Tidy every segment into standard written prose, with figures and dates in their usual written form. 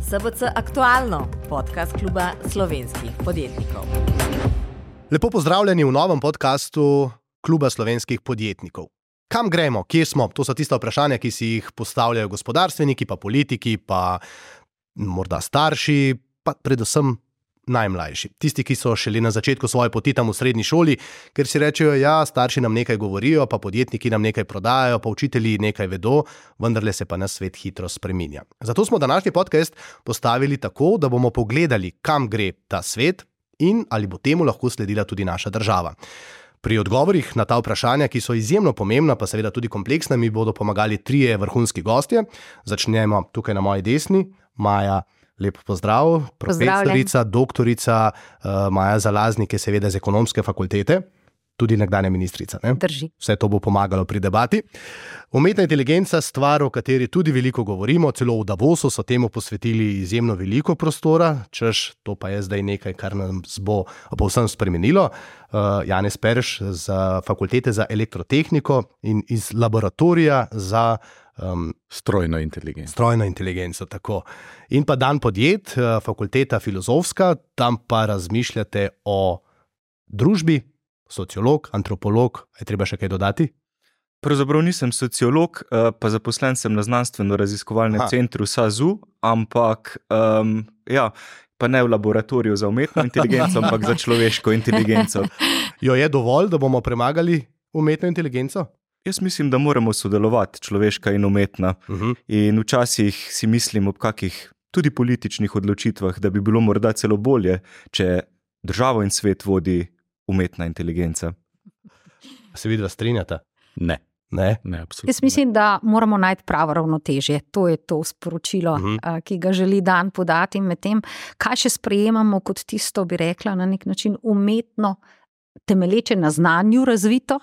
SBC Aktualno, podcast kluba slovenskih podjetnikov. Lepo pozdravljeni v novem podcastu kluba slovenskih podjetnikov. Kam gremo, kje smo? To so tista vprašanja, ki si jih postavljajo gospodarstveniki, pa politiki, pa morda starši, pa predvsem najmlajši. Tisti, ki so šele na začetku svoje poti tam v srednji šoli, ker si rečejo, ja, starši nam nekaj govorijo, pa podjetniki nam nekaj prodajajo, pa učitelji nekaj vedo, vendarle se pa nas svet hitro spreminja. Zato smo današnji podcast postavili tako, da bomo pogledali, kam gre ta svet in ali bo temu lahko sledila tudi naša država. Pri odgovorih na ta vprašanja, ki so izjemno pomembna, pa seveda tudi kompleksna, mi bodo pomagali trije vrhunski gostje. Začnemo tukaj na moji desni. Maja, lep pozdrav, profesorica, doktorica Maja Zalaznik je seveda z ekonomske fakultete, tudi nekdanja ministrica. Ne? Drži. Vse to bo pomagalo pri debati. Umetna inteligenca, stvar, o kateri tudi veliko govorimo, celo v Davosu so temu posvetili izjemno veliko prostora, češ, to pa je zdaj nekaj, kar nas bo povsem spremenilo. Janez Perš z fakultete za elektrotehniko in iz laboratorija za strojno inteligenco. Strojno inteligenco, tako. In pa Dan Podjet, fakulteta filozofska, tam pa razmišljate o družbi, sociolog, antropolog, je treba še kaj dodati? Pravzaprav nisem sociolog, pa zaposlen sem na znanstveno-raziskovalnem centru SAZU, ampak pa ne v laboratoriju za umetno inteligenco, ampak za človeško inteligenco. Jo je dovolj, da bomo premagali umetno inteligenco? Jaz mislim, da moramo sodelovati, človeška in umetna. In včasih si mislim ob kakih tudi političnih odločitvah, da bi bilo morda celo bolje, če državo in svet vodi umetna inteligenca. Se vidva strinjata? Ne. Ne, absolutno. Jaz mislim, da moramo najti pravo ravnotežje. To je to sporočilo, ki ga želi Dan podati. Medtem, kaj še sprejemamo kot tisto, bi rekla, na nek način umetno, temelječe na znanju razvito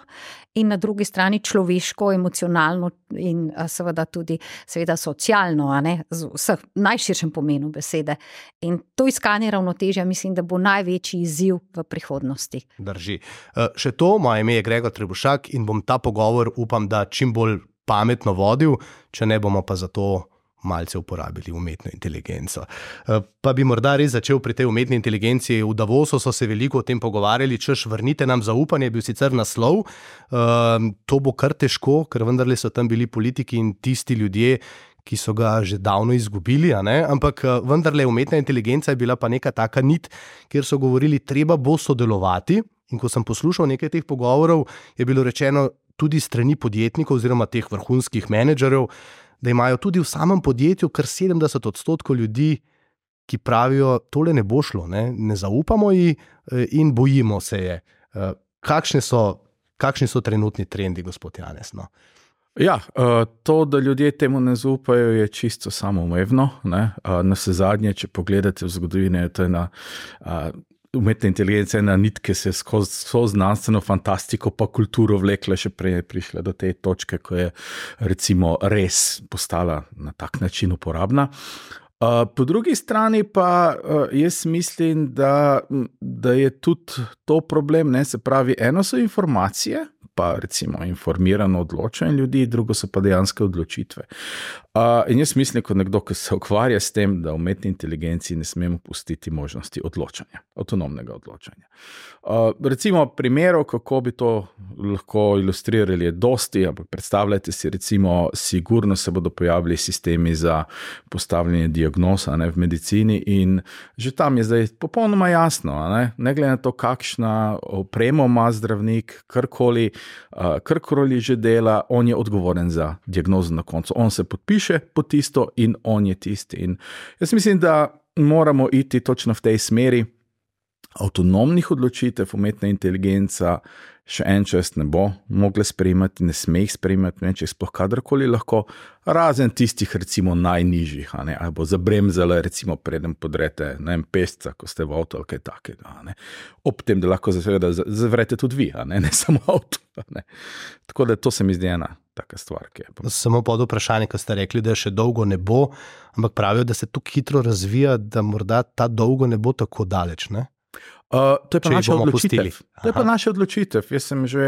in na drugi strani človeško, emocionalno in seveda tudi socialno, z vseh najširšem pomenu besede. In to iskanje ravnotežja mislim, da bo največji izziv v prihodnosti. Drži. Še to, moje ime je Gregor Trebušak in bom ta pogovor, upam, da čim bolj pametno vodil, če ne bomo pa zato malce uporabili umetno inteligenco. Pa bi morda res začel pri tej umetni inteligenci. V Davosu so se veliko o tem pogovarjali, češ vrnite nam zaupanje, je bil sicer naslov. To bo kar težko, ker vendarle so tam bili politiki in tisti ljudje, ki so ga že davno izgubili, ampak vendarle umetna inteligenca je bila pa neka taka nit, kjer so govorili, treba bo sodelovati. In ko sem poslušal nekaj teh pogovorov, je bilo rečeno tudi strani podjetnikov oziroma teh vrhunskih menedžerjev, da imajo tudi v samem podjetju kar 70% ljudi, ki pravijo, tole ne bo šlo, ne zaupamo ji in bojimo se je. Kakšni so trenutni trendi, gospod Janez? No? Ja, to, da ljudje temu ne zaupajo, je čisto samoumevno. Navsezadnje, če pogledate v zgodovini, to je ena umetna inteligenca, ena nit, ki se skozi znanstveno fantastiko pa kulturo vlekla, še prej je prišla do te točke, ko je recimo res postala na tak način uporabna. Po drugi strani pa jaz mislim, da je tudi to problem, se pravi, eno so informacije, pa recimo informirano odločanje ljudi, drugo so pa dejanske odločitve. In jaz mislim, kot nekdo, ki se ukvarja s tem, da umetni inteligenci ne smemo pustiti možnosti odločanja, avtonomnega odločanja. Recimo primerov, kako bi to lahko ilustrirali, je dosti, ampak predstavljajte si recimo, sigurno se bodo pojavili sistemi za postavljanje diagnoz v medicini in že tam je zdaj popolnoma jasno, ne glede na to, kakšna opremo ima zdravnik, karkoli že dela, on je odgovoren za diagnozo na koncu. On se podpiše pod tisto in on je tisti. In jaz mislim, da moramo iti točno v tej smeri. Avtonomnih odločitev umetna inteligenca še en čas ne bo mogla sprejemati, ne sme jih sprejemati, če sploh kadarkoli lahko, razen tistih recimo najnižjih, ali bo zabremzala recimo preden podrete pesca, ko ste v avto ali kaj takega. Ob tem, da lahko zavrete tudi vi, ne samo avto. Tako da to se mi zdi ena taka stvar. Samo pod vprašanje, ko ste rekli, da še dolgo ne bo, ampak pravijo, da se tako hitro razvija, da morda ta dolgo ne bo tako daleč, ne? To je pa naša odločitev. To je pa naša odločitev. Jaz sem že,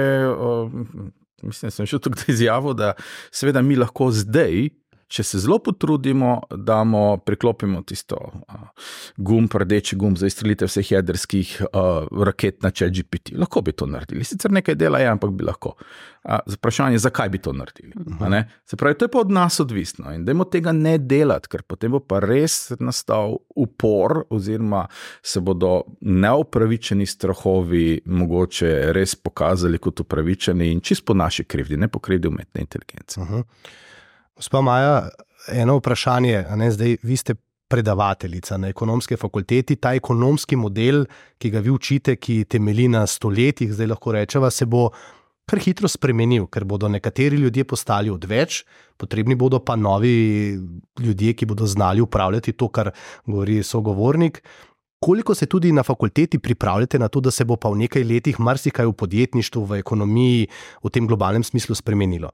mislim, sem še tukaj izjavil, da seveda mi lahko zdaj če se zelo potrudimo, priklopimo tisto rdeči gumb za izstrelitev vseh jedrskih raket na ChatGPT. Lahko bi to naredili. Sicer nekaj dela je, ampak bi lahko. Vprašanje, zakaj bi to naredili? Se pravi, to je pa od nas odvisno in dajmo tega ne delati, ker potem bo pa res nastal upor oziroma se bodo neupravičeni strahovi mogoče res pokazali kot upravičeni in čisto po naši krivdi, ne po krivdi umetne inteligence. Gospa Maja, eno vprašanje, zdaj vi ste predavateljica na ekonomske fakulteti, ta ekonomski model, ki ga vi učite, ki temelji na stoletjih, zdaj lahko rečeva, se bo kar hitro spremenil, ker bodo nekateri ljudje postali odveč, potrebni bodo pa novi ljudje, ki bodo znali upravljati to, kar govori sogovornik. Koliko se tudi na fakulteti pripravljate na to, da se bo pa v nekaj letih marsikaj v podjetništvu, v ekonomiji, v tem globalnem smislu spremenilo?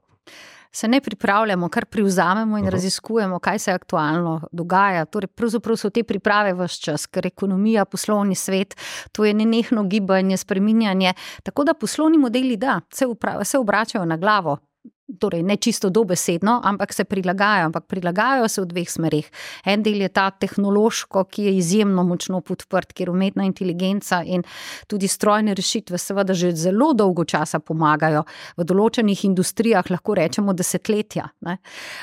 Se ne pripravljamo, kar privzamemo in raziskujemo, kaj se aktualno dogaja. Torej, pravzaprav so te priprave ves čas, ker ekonomija, poslovni svet, to je nenehno gibanje, spreminjanje. Tako da poslovni modeli, se obračajo na glavo. Torej, ne čisto dobesedno, ampak se prilagajajo se v dveh smerih. En del je ta tehnološko, ki je izjemno močno podprt, kjer umetna inteligenca in tudi strojne rešitve seveda že zelo dolgo časa pomagajo. V določenih industrijah lahko rečemo desetletja. Ne.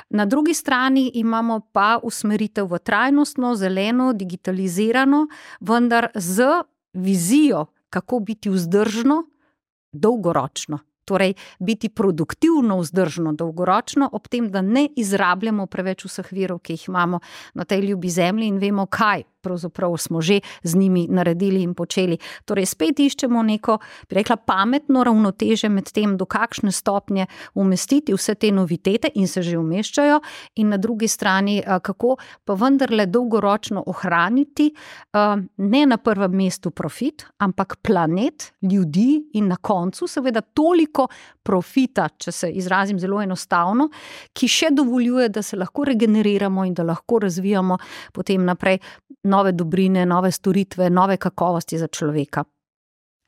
Na drugi strani imamo pa usmeritev v trajnostno, zeleno, digitalizirano, vendar z vizijo, kako biti vzdržno, dolgoročno. Torej, biti produktivno vzdržno dolgoročno, ob tem, da ne izrabljamo preveč vseh virov, ki jih imamo na tej ljubi zemlji in vemo, kaj pravzaprav smo že z njimi naredili in počeli. Torej, spet iščemo neko, bi rekla, pametno ravnoteže med tem, do kakšne stopnje umestiti vse te novitete in se že umeščajo in na drugi strani, kako pa vendarle dolgoročno ohraniti ne na prvem mestu profit, ampak planet, ljudi in na koncu seveda toliko profita, če se izrazim zelo enostavno, ki še dovoljuje, da se lahko regeneriramo in da lahko razvijamo potem naprej nove dobrine, nove storitve, nove kakovosti za človeka.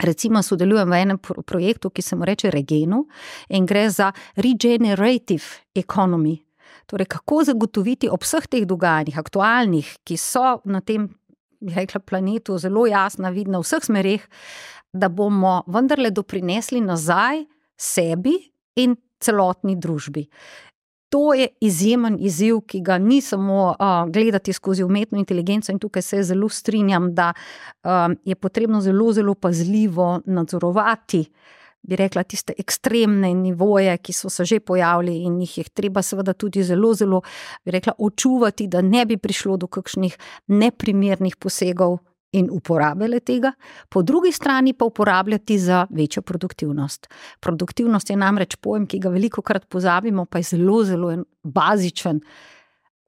Recimo sodelujem v enem projektu, ki se mu reče Regenu in gre za regenerative economy. Torej, kako zagotoviti ob vseh teh dogajanjih, aktualnih, ki so na tem, bi rekla, planetu zelo jasna, vidna v vseh smereh, da bomo vendarle doprinesli nazaj sebi in celotni družbi. To je izjemen izziv, ki ga ni samo gledati skozi umetno inteligenco in tukaj se zelo strinjam, da je potrebno zelo, zelo pazljivo nadzorovati, bi rekla, tiste ekstremne nivoje, ki so se že pojavili in jih je treba seveda tudi zelo, zelo, bi rekla, očuvati, da ne bi prišlo do kakšnih neprimernih posegov in uporabljale tega, po drugi strani pa uporabljati za večjo produktivnost. Produktivnost je namreč pojem, ki ga velikokrat pozabimo, pa je zelo, zelo bazičen.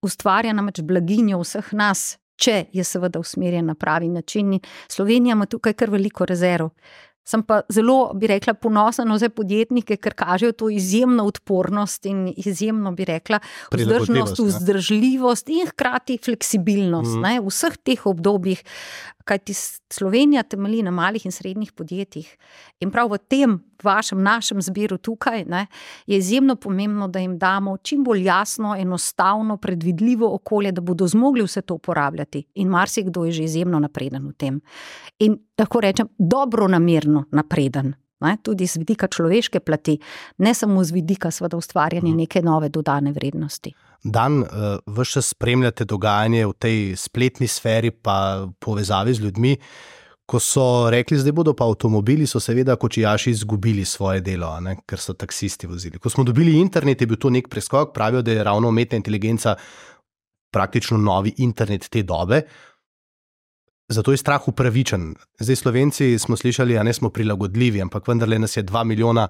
Ustvarja namreč blaginjo vseh nas, če je seveda usmerjen na pravi način. Slovenija ima tukaj kar veliko rezerv. Sem pa zelo, bi rekla, ponosna na vse podjetnike, ker kažejo to izjemno odpornost in izjemno, bi rekla, vzdržljivost in hkrati fleksibilnost v vseh teh obdobjih, kajti Slovenija temelji na malih in srednjih podjetjih. In prav v tem našem zbiru tukaj je izjemno pomembno, da jim damo čim bolj jasno, enostavno, predvidljivo okolje, da bodo zmogli vse to uporabljati. In marsikdo je že izjemno napreden v tem. In lahko rečem, dobronamerno napreden. Tudi z vidika človeške plati, ne samo z vidika seveda ustvarjanja neke nove dodane vrednosti. Dan, ves čas spremljate dogajanje v tej spletni sferi pa povezavi z ljudmi. Ko so rekli, zdaj bodo pa avtomobili, so seveda kočijaši izgubili svoje delo, ker so taksisti vozili. Ko smo dobili internet, je bil to nek preskok, pravijo, da je ravno umetna inteligenca praktično novi internet te dobe. Zato je strah upravičen. Zdaj Slovenci smo slišali, ne smo prilagodljivi, ampak vendarle nas je 2 milijona.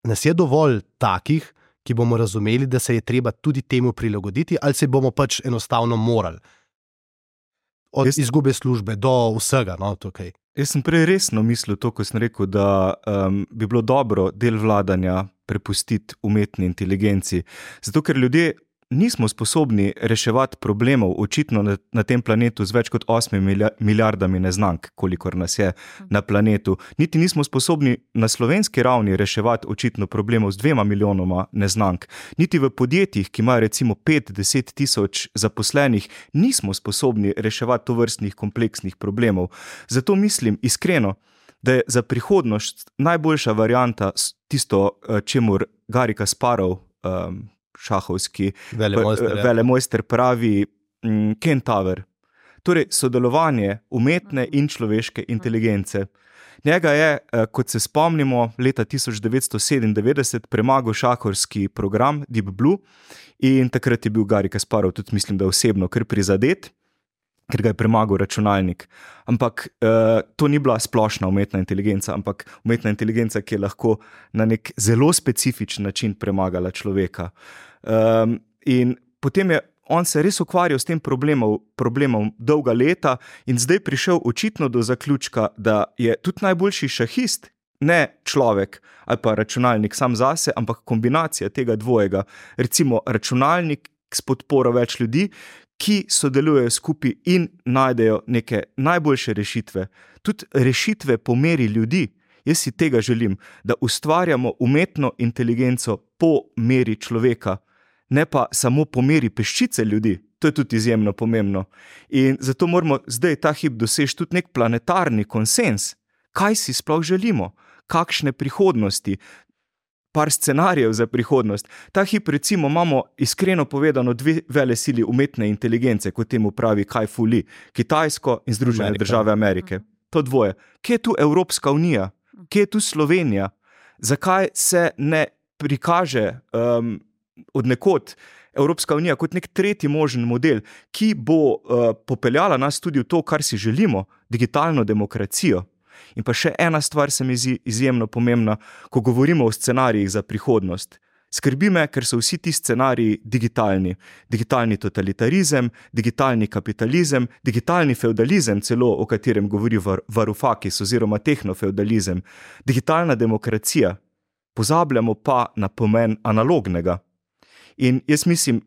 Nas je dovolj takih, ki bomo razumeli, da se je treba tudi temu prilagoditi, ali se bomo pač enostavno morali. Od izgube službe do vsega tukaj. Jaz sem prej resno mislil to, ko sem rekel, da bi bilo dobro del vladanja prepustiti umetni inteligenci. Zato, ker ljudje nismo sposobni reševati problemov očitno na tem planetu z več kot 8 milijardami neznank, kolikor nas je na planetu. Niti nismo sposobni na slovenski ravni reševati očitno problemov z 2 milijonoma neznank. Niti v podjetjih, ki imajo recimo 5-10 tisoč zaposlenih, nismo sposobni reševati tovrstnih kompleksnih problemov. Zato mislim iskreno, da je za prihodnost najboljša varianta tisto, čemur Garry Kasparov, šahovski velemojster pravi Kentaur. Torej, sodelovanje umetne in človeške inteligence. Njega je, kot se spomnimo, leta 1997 premagal šahovski program Deep Blue in takrat je bil Garry Kasparov tudi, mislim, da osebno kar prizadet, ker ga je premagal računalnik. Ampak to ni bila splošna umetna inteligenca, ampak umetna inteligenca, ki je lahko na nek zelo specifičen način premagala človeka. In potem je on se res ukvarjal s tem problemom dolga leta in zdaj prišel očitno do zaključka, da je tudi najboljši šahist ne človek ali pa računalnik sam zase, ampak kombinacija tega dvojega. Recimo računalnik s podporo več ljudi, ki sodelujejo skupaj in najdejo neke najboljše rešitve. Tudi rešitve po meri ljudi. Jaz si tega želim, da ustvarjamo umetno inteligenco po meri človeka, ne pa samo po meri peščice ljudi. To je tudi izjemno pomembno. In zato moramo zdaj ta hip doseči tudi nek planetarni konsens. Kaj si sploh želimo? Kakšne prihodnosti? Par scenarijev za prihodnost. Ta hip recimo imamo iskreno povedano 2 velesili umetne inteligence, kot temu pravi Kai-Fu Lee, Kitajsko in Združene države Amerike. To dvoje. Kje je tu Evropska unija? Kje je tu Slovenija? Zakaj se ne prikaže od nekod Evropska unija kot nek tretji možen model, ki bo popeljala nas tudi v to, kar si želimo, digitalno demokracijo? In pa še ena stvar se mi zdi izjemno pomembna, ko govorimo o scenarijih za prihodnost. Skrbi me, ker so vsi ti scenariji digitalni. Digitalni totalitarizem, digitalni kapitalizem, digitalni feudalizem celo, o katerem govori Varoufakis oziroma tehnofeudalizem. Digitalna demokracija. Pozabljamo pa na pomen analognega. In jaz mislim,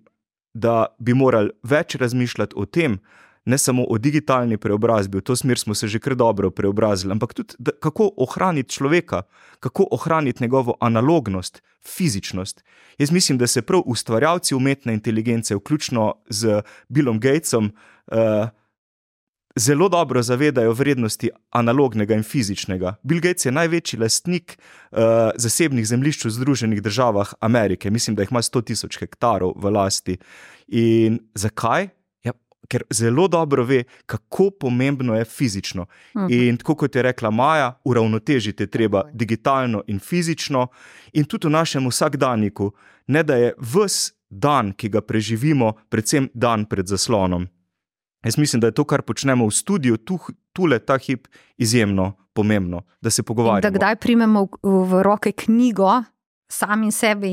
da bi morali več razmišljati o tem, ne samo o digitalni preobrazbi, v to smer smo se že kar dobro preobrazili, ampak tudi kako ohraniti človeka, kako ohraniti njegovo analognost, fizičnost. Jaz mislim, da se prav ustvarjalci umetne inteligence, vključno z Billom Gatesom, zelo dobro zavedajo vrednosti analognega in fizičnega. Bill Gates je največji lastnik zasebnih zemljišč v Združenih državah Amerike. Mislim, da jih ima 100.000 hektarov v lasti. In zakaj? Ker zelo dobro ve, kako pomembno je fizično. In tako kot je rekla Maja, uravnotežiti treba digitalno in fizično in tudi v našem vsakdanjiku, ne da je ves dan, ki ga preživimo, predvsem dan pred zaslonom. Jaz mislim, da je to, kar počnemo v studiu, tule ta hip izjemno pomembno, da se pogovarjamo. In da kdaj primemo v roke knjigo, sami sebe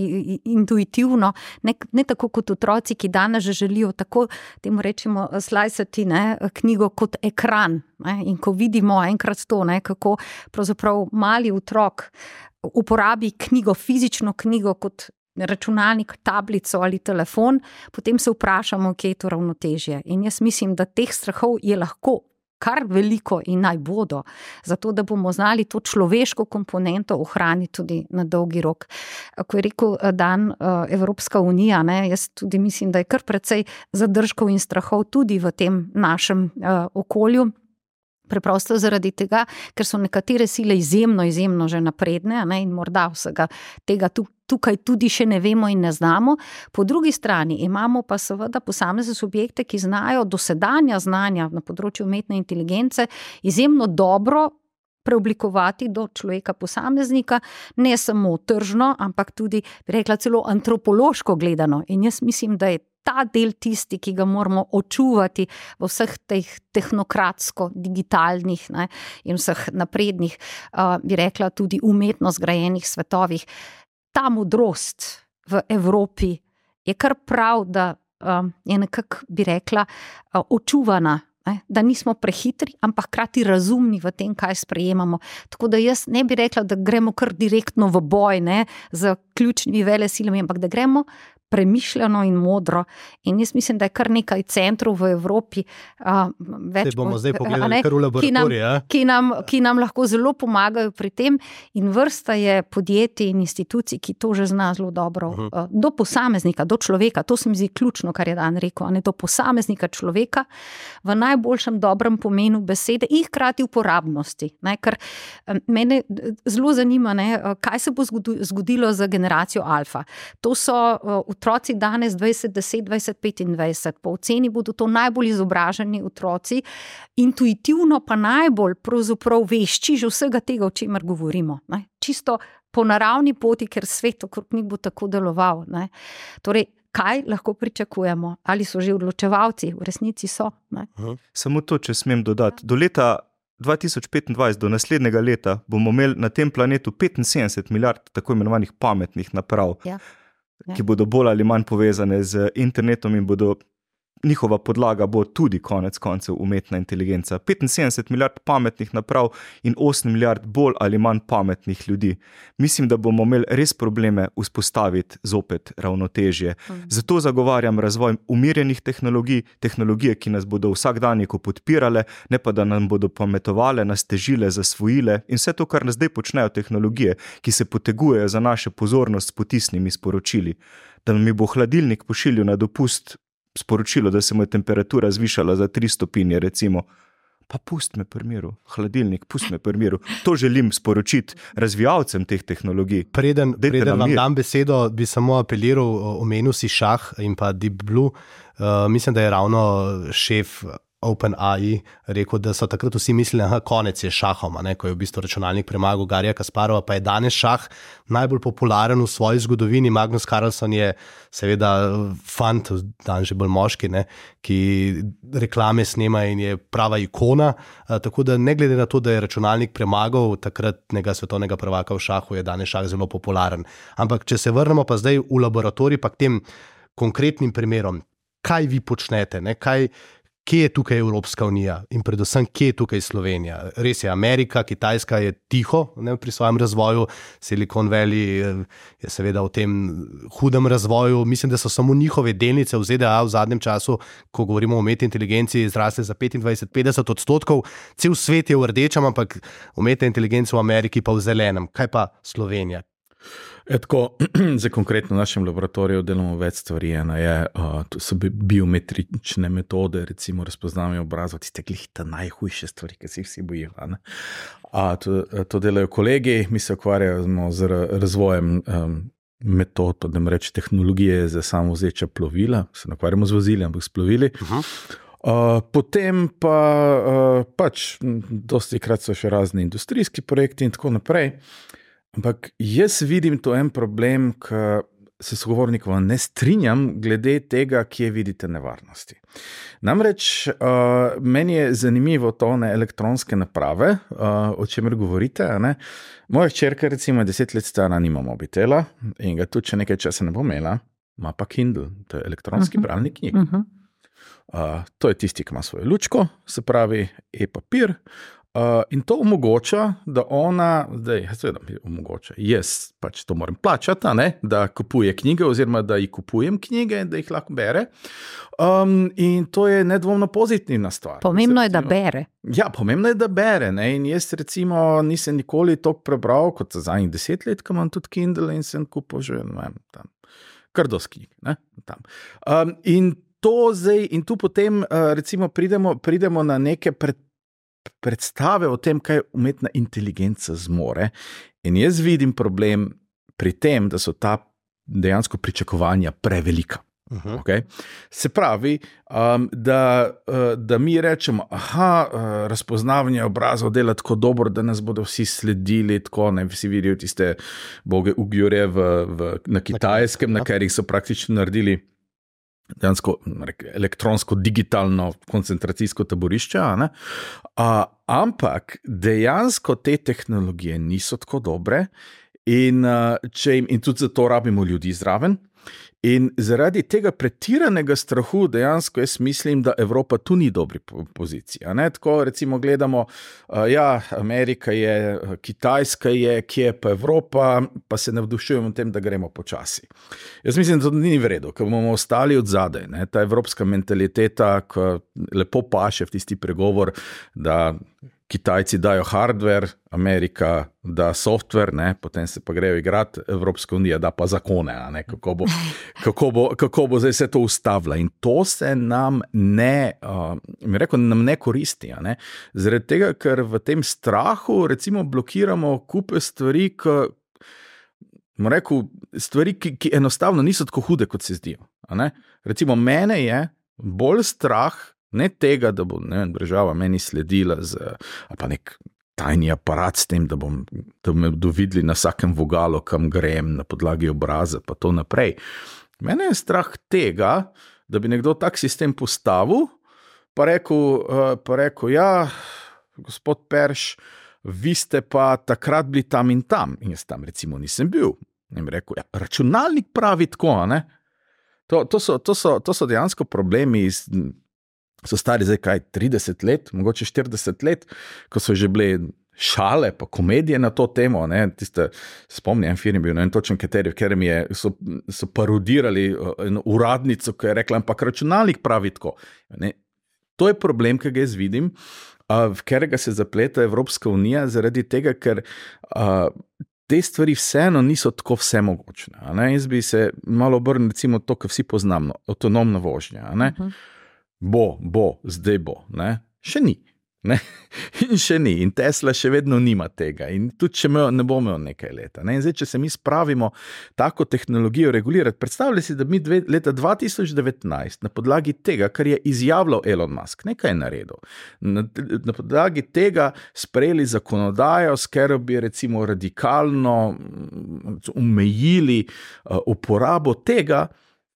intuitivno, ne tako kot otroci, ki danes že želijo tako, temu rečemo, slajsati knjigo kot ekran. In ko vidimo enkrat to, kako pravzaprav mali otrok uporabi knjigo, fizično knjigo kot računalnik, tablico ali telefon, potem se vprašamo, kje je to ravnotežje. In jaz mislim, da teh strahov je lahko kar veliko in naj bodo, zato da bomo znali to človeško komponento ohraniti tudi na dolgi rok. Ko je rekel Dan Evropska unija, jaz tudi mislim, da je kar precej zadržkov in strahov tudi v tem našem okolju. Preprosto zaradi tega, ker so nekatere sile izjemno že napredne in morda vsega tega tukaj tudi še ne vemo in ne znamo. Po drugi strani imamo pa seveda posamezne subjekte, ki znajo dosedanja znanja na področju umetne inteligence izjemno dobro preoblikovati do človeka posameznika, ne samo tržno, ampak tudi, bi rekla, celo antropološko gledano. In jaz mislim, da je ta del tisti, ki ga moramo očuvati v vseh teh tehnokratsko-digitalnih in vseh naprednih, bi rekla, tudi umetno zgrajenih svetovih. Ta modrost v Evropi je kar prav, da je nekako, bi rekla, očuvana Da nismo prehitri, ampak hkrati razumni v tem, kaj sprejemamo. Tako da jaz ne bi rekla, da gremo kar direktno v boj z ključnimi velesilami, ampak da gremo premišljeno in modro. In jaz mislim, da je kar nekaj centrov v Evropi, več bomo zdaj pogledali kar v laboratoriju, ki nam lahko zelo pomagajo pri tem, in vrsta je podjetij in institucij, ki to že zna zelo dobro. Do posameznika, do človeka, to se mi zdi ključno, kar je Dan rekel, do posameznika človeka v najboljšem dobrem pomenu besede in hkrati uporabnosti. Ker mene zelo zanima, kaj se bo zgodilo za generacijo alfa. To so otroci danes 20, 10, 20, 25. Po oceni bodo to najbolj izobraženi otroci, intuitivno pa najbolj pravzaprav vešči že vsega tega, o čemer govorimo. Čisto po naravni poti, ker svet okrog njih bo tako deloval. Torej, kaj lahko pričakujemo? Ali so že odločevalci? V resnici so. Samo to, če smem dodati. Do leta 2025, do naslednjega leta, bomo imeli na tem planetu 75 milijard tako imenovanih pametnih naprav. Ki bodo bolj ali manj povezane z internetom in njihova podlaga bo tudi konec koncev umetna inteligenca. 75 milijard pametnih naprav in 8 milijard bolj ali manj pametnih ljudi. Mislim, da bomo imeli res probleme vzpostaviti zopet ravnotežje. Zato zagovarjam razvoj umirjenih tehnologij, tehnologije, ki nas bodo vsakdanjiko podpirale, ne pa da nam bodo pametovale, nas težile, zasvojile in vse to, kar nas zdaj počnejo tehnologije, ki se potegujejo za našo pozornost s potisnimi sporočili. Da mi bo hladilnik pošiljal na dopust sporočilo, da se mu je temperatura zvišala za 3 stopinje, recimo, pa pust me pri miru, hladilnik, pust me pri miru. To želim sporočiti razvijalcem teh tehnologij. Preden vam dam besedo, bi samo apeliral, omenil si šah in pa Deep Blue. Mislim, da je ravno šef OpenAI rekel, da so takrat vsi mislili, konec je šahom, ko je v bistvu računalnik premagal Garija Kasparova, pa je danes šah najbolj popularen v svoji zgodovini. Magnus Carlsen je seveda fant, dan že bolj moški, ki reklame snema in je prava ikona, tako da ne glede na to, da je računalnik premagal takratnega svetovnega prvaka v šahu, je danes šah zelo popularen. Ampak če se vrnemo pa zdaj v laboratorij, pa k tem konkretnim primerom, kaj vi počnete, kje je tukaj Evropska unija in predvsem, kje je tukaj Slovenija? Res je, Amerika, Kitajska je tiho pri svojem razvoju, Silicon Valley je seveda v tem hudem razvoju. Mislim, da so samo njihove delnice v ZDA v zadnjem času, ko govorimo o umetni inteligenci, zrasle za 25-50%. Cel svet je v rdečem, ampak umetna inteligenca v Ameriki pa v zelenem. Kaj pa Slovenija? Tako, za konkretno v našem laboratoriju delamo več stvari. To so biometrične metode, recimo razpoznavanje obrazov, tiste glihta najhujše stvari, ki se jih vsi bojijo. To delajo kolegi, mi se ukvarjamo z razvojem metod, da ne reči tehnologije za samovozeča plovila, se ne ukvarjamo z vozili, ampak s plovili. Potem pa dosti krat so še razni industrijski projekti in tako naprej. Ampak jaz vidim to en problem, ki se sogovornikov ne strinjam glede tega, kje vidite nevarnosti. Namreč meni je zanimivo to elektronske naprave, o čemer govorite. Moja hčerka recimo 10 let stara, nima mobitela in ga tudi, če nekaj časa ne bo imela, ima pa Kindle, to je elektronski bralnik knjig. To je tisti, ki ima svojo lučko, se pravi e-papir. In to omogoča, da ona, jaz pač to moram plačati, da kupuje knjige oziroma da ji kupujem knjige, da jih lahko bere. In to je nedvomno pozitivna stvar. Pomembno je, da bere. Ja, pomembno je, da bere. In jaz recimo nisem nikoli toliko prebral, kot za zadnjih 10 let, ko imam tudi Kindle in sem kupil že kar dosti knjig. In tu potem recimo pridemo na neke predstave o tem, kaj umetna inteligenca zmore. In jaz vidim problem pri tem, da so ta dejansko pričakovanja prevelika. Okay? Se pravi, da mi rečemo, razpoznavanje obrazov dela tako dobro, da nas bodo vsi sledili, tako vsi vidijo tiste boge Ujgure na Kitajskem, na katerih so praktično naredili dejansko elektronsko, digitalno koncentracijsko taborišče, ampak dejansko te tehnologije niso tako dobre in tudi zato rabimo ljudi zraven. In zaradi tega pretiranega strahu dejansko jaz mislim, da Evropa tu ni dobri poziciji. Tako recimo gledamo, Amerika je, Kitajska je, kje je pa Evropa, pa se navdušujemo tem, da gremo počasi. Jaz mislim, da to ni v redu, ker bomo ostali od zadaj. Ta evropska mentaliteta, ki lepo paše v tisti pregovor, da Kitajci dajo hardware, Amerika da software, potem se pa grejo igrati, Evropska unija da pa zakone, kako bo zdaj vse to ustavila. In to se nam ne koristi. Zaradi tega, ker v tem strahu recimo blokiramo kupe stvari, ki enostavno niso tako hude, kot se zdijo. Recimo mene je bolj strah, ne tega, da bo država meni sledila ali pa nek tajni aparat s tem, da me bodo videli na vsakem vogalu, kam grem, na podlagi obraza, pa to naprej. Mene je strah tega, da bi nekdo tak sistem postavil, pa rekel, gospod Perš, vi ste pa takrat bili tam in tam. In jaz tam recimo nisem bil. In bi rekel, računalnik pravi tako, To so dejansko problemi so stari zdaj 30 let, mogoče 40 let, ko so že bile šale pa komedije na to temo, spomnim, en film je bil, točen kateri, v katerem so parodirali eno uradnico, ki je rekla, ampak računalnik pravi tako. To je problem, ki ga jaz vidim, v katerega se zapleta Evropska unija, zaradi tega, ker te stvari vseeno niso tako vsemogočne. Jaz bi se malo obrnil, recimo to, kar vsi poznamo, avtonomna vožnja. Zdaj bo. Še ni. In še ni. In Tesla še vedno nima tega. In tudi, če ne bo imel nekaj leta. In zdaj, če se mi spravimo tako tehnologijo regulirati, predstavljaj si, da mi leta 2019 na podlagi tega, kar je izjavljal Elon Musk, nekaj je naredil, na podlagi tega sprejeli zakonodajo, s katero bi recimo radikalno omejili uporabo tega,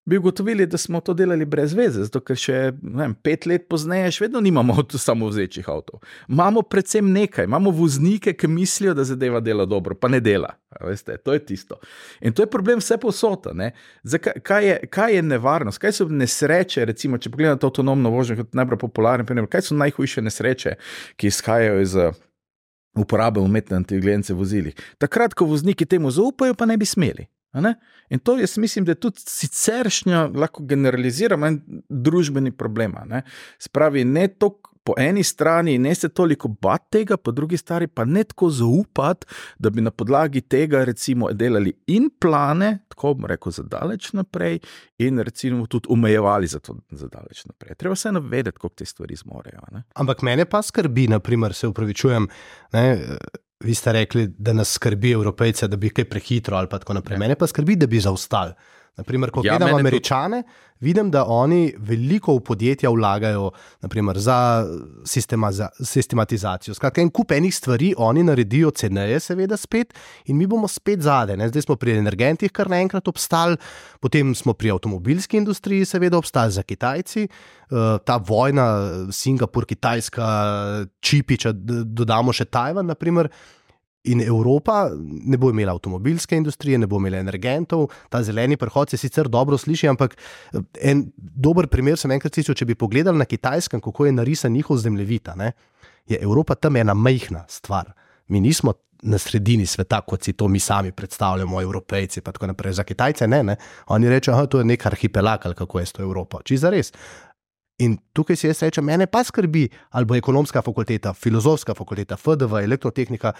bi ugotovili, da smo to delali brez veze, zato ker še 5 let pozneje še vedno nimamo samovzečih avtov. Imamo predvsem nekaj, imamo voznike, ki mislijo, da zadeva dela dobro, pa ne dela. Veste, to je tisto. In to je problem vse povsod. Kaj je nevarnost? Kaj so nesreče, recimo, če pogledate avtonomno vožnjo kot najbolj popularen primer, kaj so najhujše nesreče, ki izhajajo iz uporabe umetne inteligence v vozilih? Takrat, ko vozniki temu zaupajo, pa ne bi smeli. In to jaz mislim, da je tudi siceršnja, lahko generaliziramo, družbeni problem. Spravi, ne to po eni strani, ne se toliko bati tega, po drugi strani pa ne tako zaupati, da bi na podlagi tega recimo delali in plane, tako bom rekel, za daleč naprej, in recimo tudi omejevali za daleč naprej. Treba vseeno vedeti, kako te stvari zmorejo. Ampak mene pa skrbi, naprimer, se upravičujem, vi ste rekli, da nas skrbi Evropejce, da bi kaj prehitro ali pa tako naprej. Mene pa skrbi, da bi zaostali. Naprimer, ko gledam Američane, vidim, da oni veliko v podjetja vlagajo, naprimer, za sistematizacijo. Skratka, en kup enih stvari oni naredijo ceneje, seveda spet, in mi bomo spet zadaj. Zdaj smo pri energentih kar naenkrat obstali, potem smo pri avtomobilski industriji seveda obstali za Kitajci. Ta vojna Singapur-Kitajska, čipi, če dodamo še Tajvan, naprimer, in Evropa ne bo imela avtomobilske industrije, ne bo imela energentov. Ta zeleni prehod se sicer dobro sliši, ampak en dober primer sem enkrat slišal, če bi pogledali na Kitajskem, kako je narisan njihov zemljevid, je Evropa tam ena majhna stvar. Mi nismo na sredini sveta, kot si to mi sami predstavljamo, Evropejci, pa tako naprej. Za Kitajce ne. Oni rečejo, to je nek arhipelag, ali kako je to Evropa. Čisto res. In tukaj si jaz rečem, mene pa skrbi, ali bo ekonomska fakulteta, filozofska fakulteta, FDV, elektrotehnika,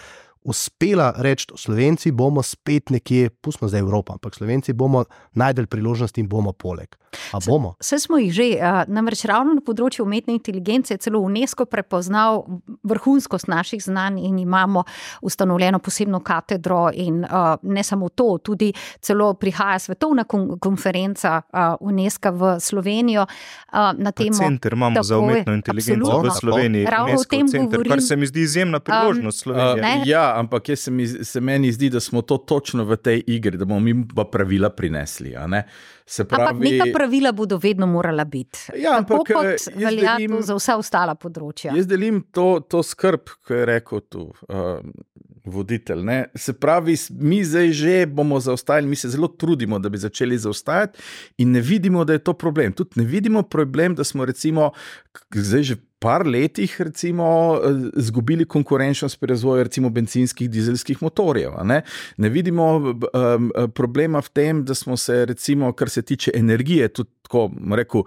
uspela reči, Slovenci bomo spet nekje, pustimo zdaj Evropa, ampak Slovenci bomo najdeli priložnosti in bomo poleg. A bomo? Vse smo jih že, namreč ravno na področju umetne inteligence je celo UNESCO prepoznal vrhunskost naših znanj in imamo ustanovljeno posebno katedro in ne samo to, tudi celo prihaja svetovna konferenca UNESCO v Slovenijo na temo. Center imamo za umetno inteligenco v Sloveniji, UNESCO center, kar se mi zdi izjemna priložnost Slovenije. Ampak meni zdi, da smo to točno v tej igri, da bomo mi pa pravila prinesli. Ampak neka pravila bodo vedno morala biti. Tako kot velja to za vsa ostala področja. Jaz delim to skrb, ko je rekel tu voditelj. Ne? Se pravi, mi zdaj že bomo zaostajali, mi se zelo trudimo, da bi začeli zaostajati in ne vidimo, da je to problem. Tudi ne vidimo problem, da smo recimo zdaj že par letih recimo izgubili konkurenčnost pri razvoju recimo bencinskih, dizelskih motorjev. Ne vidimo problema v tem, da smo se recimo, kar se tiče energije, tudi tako rekel,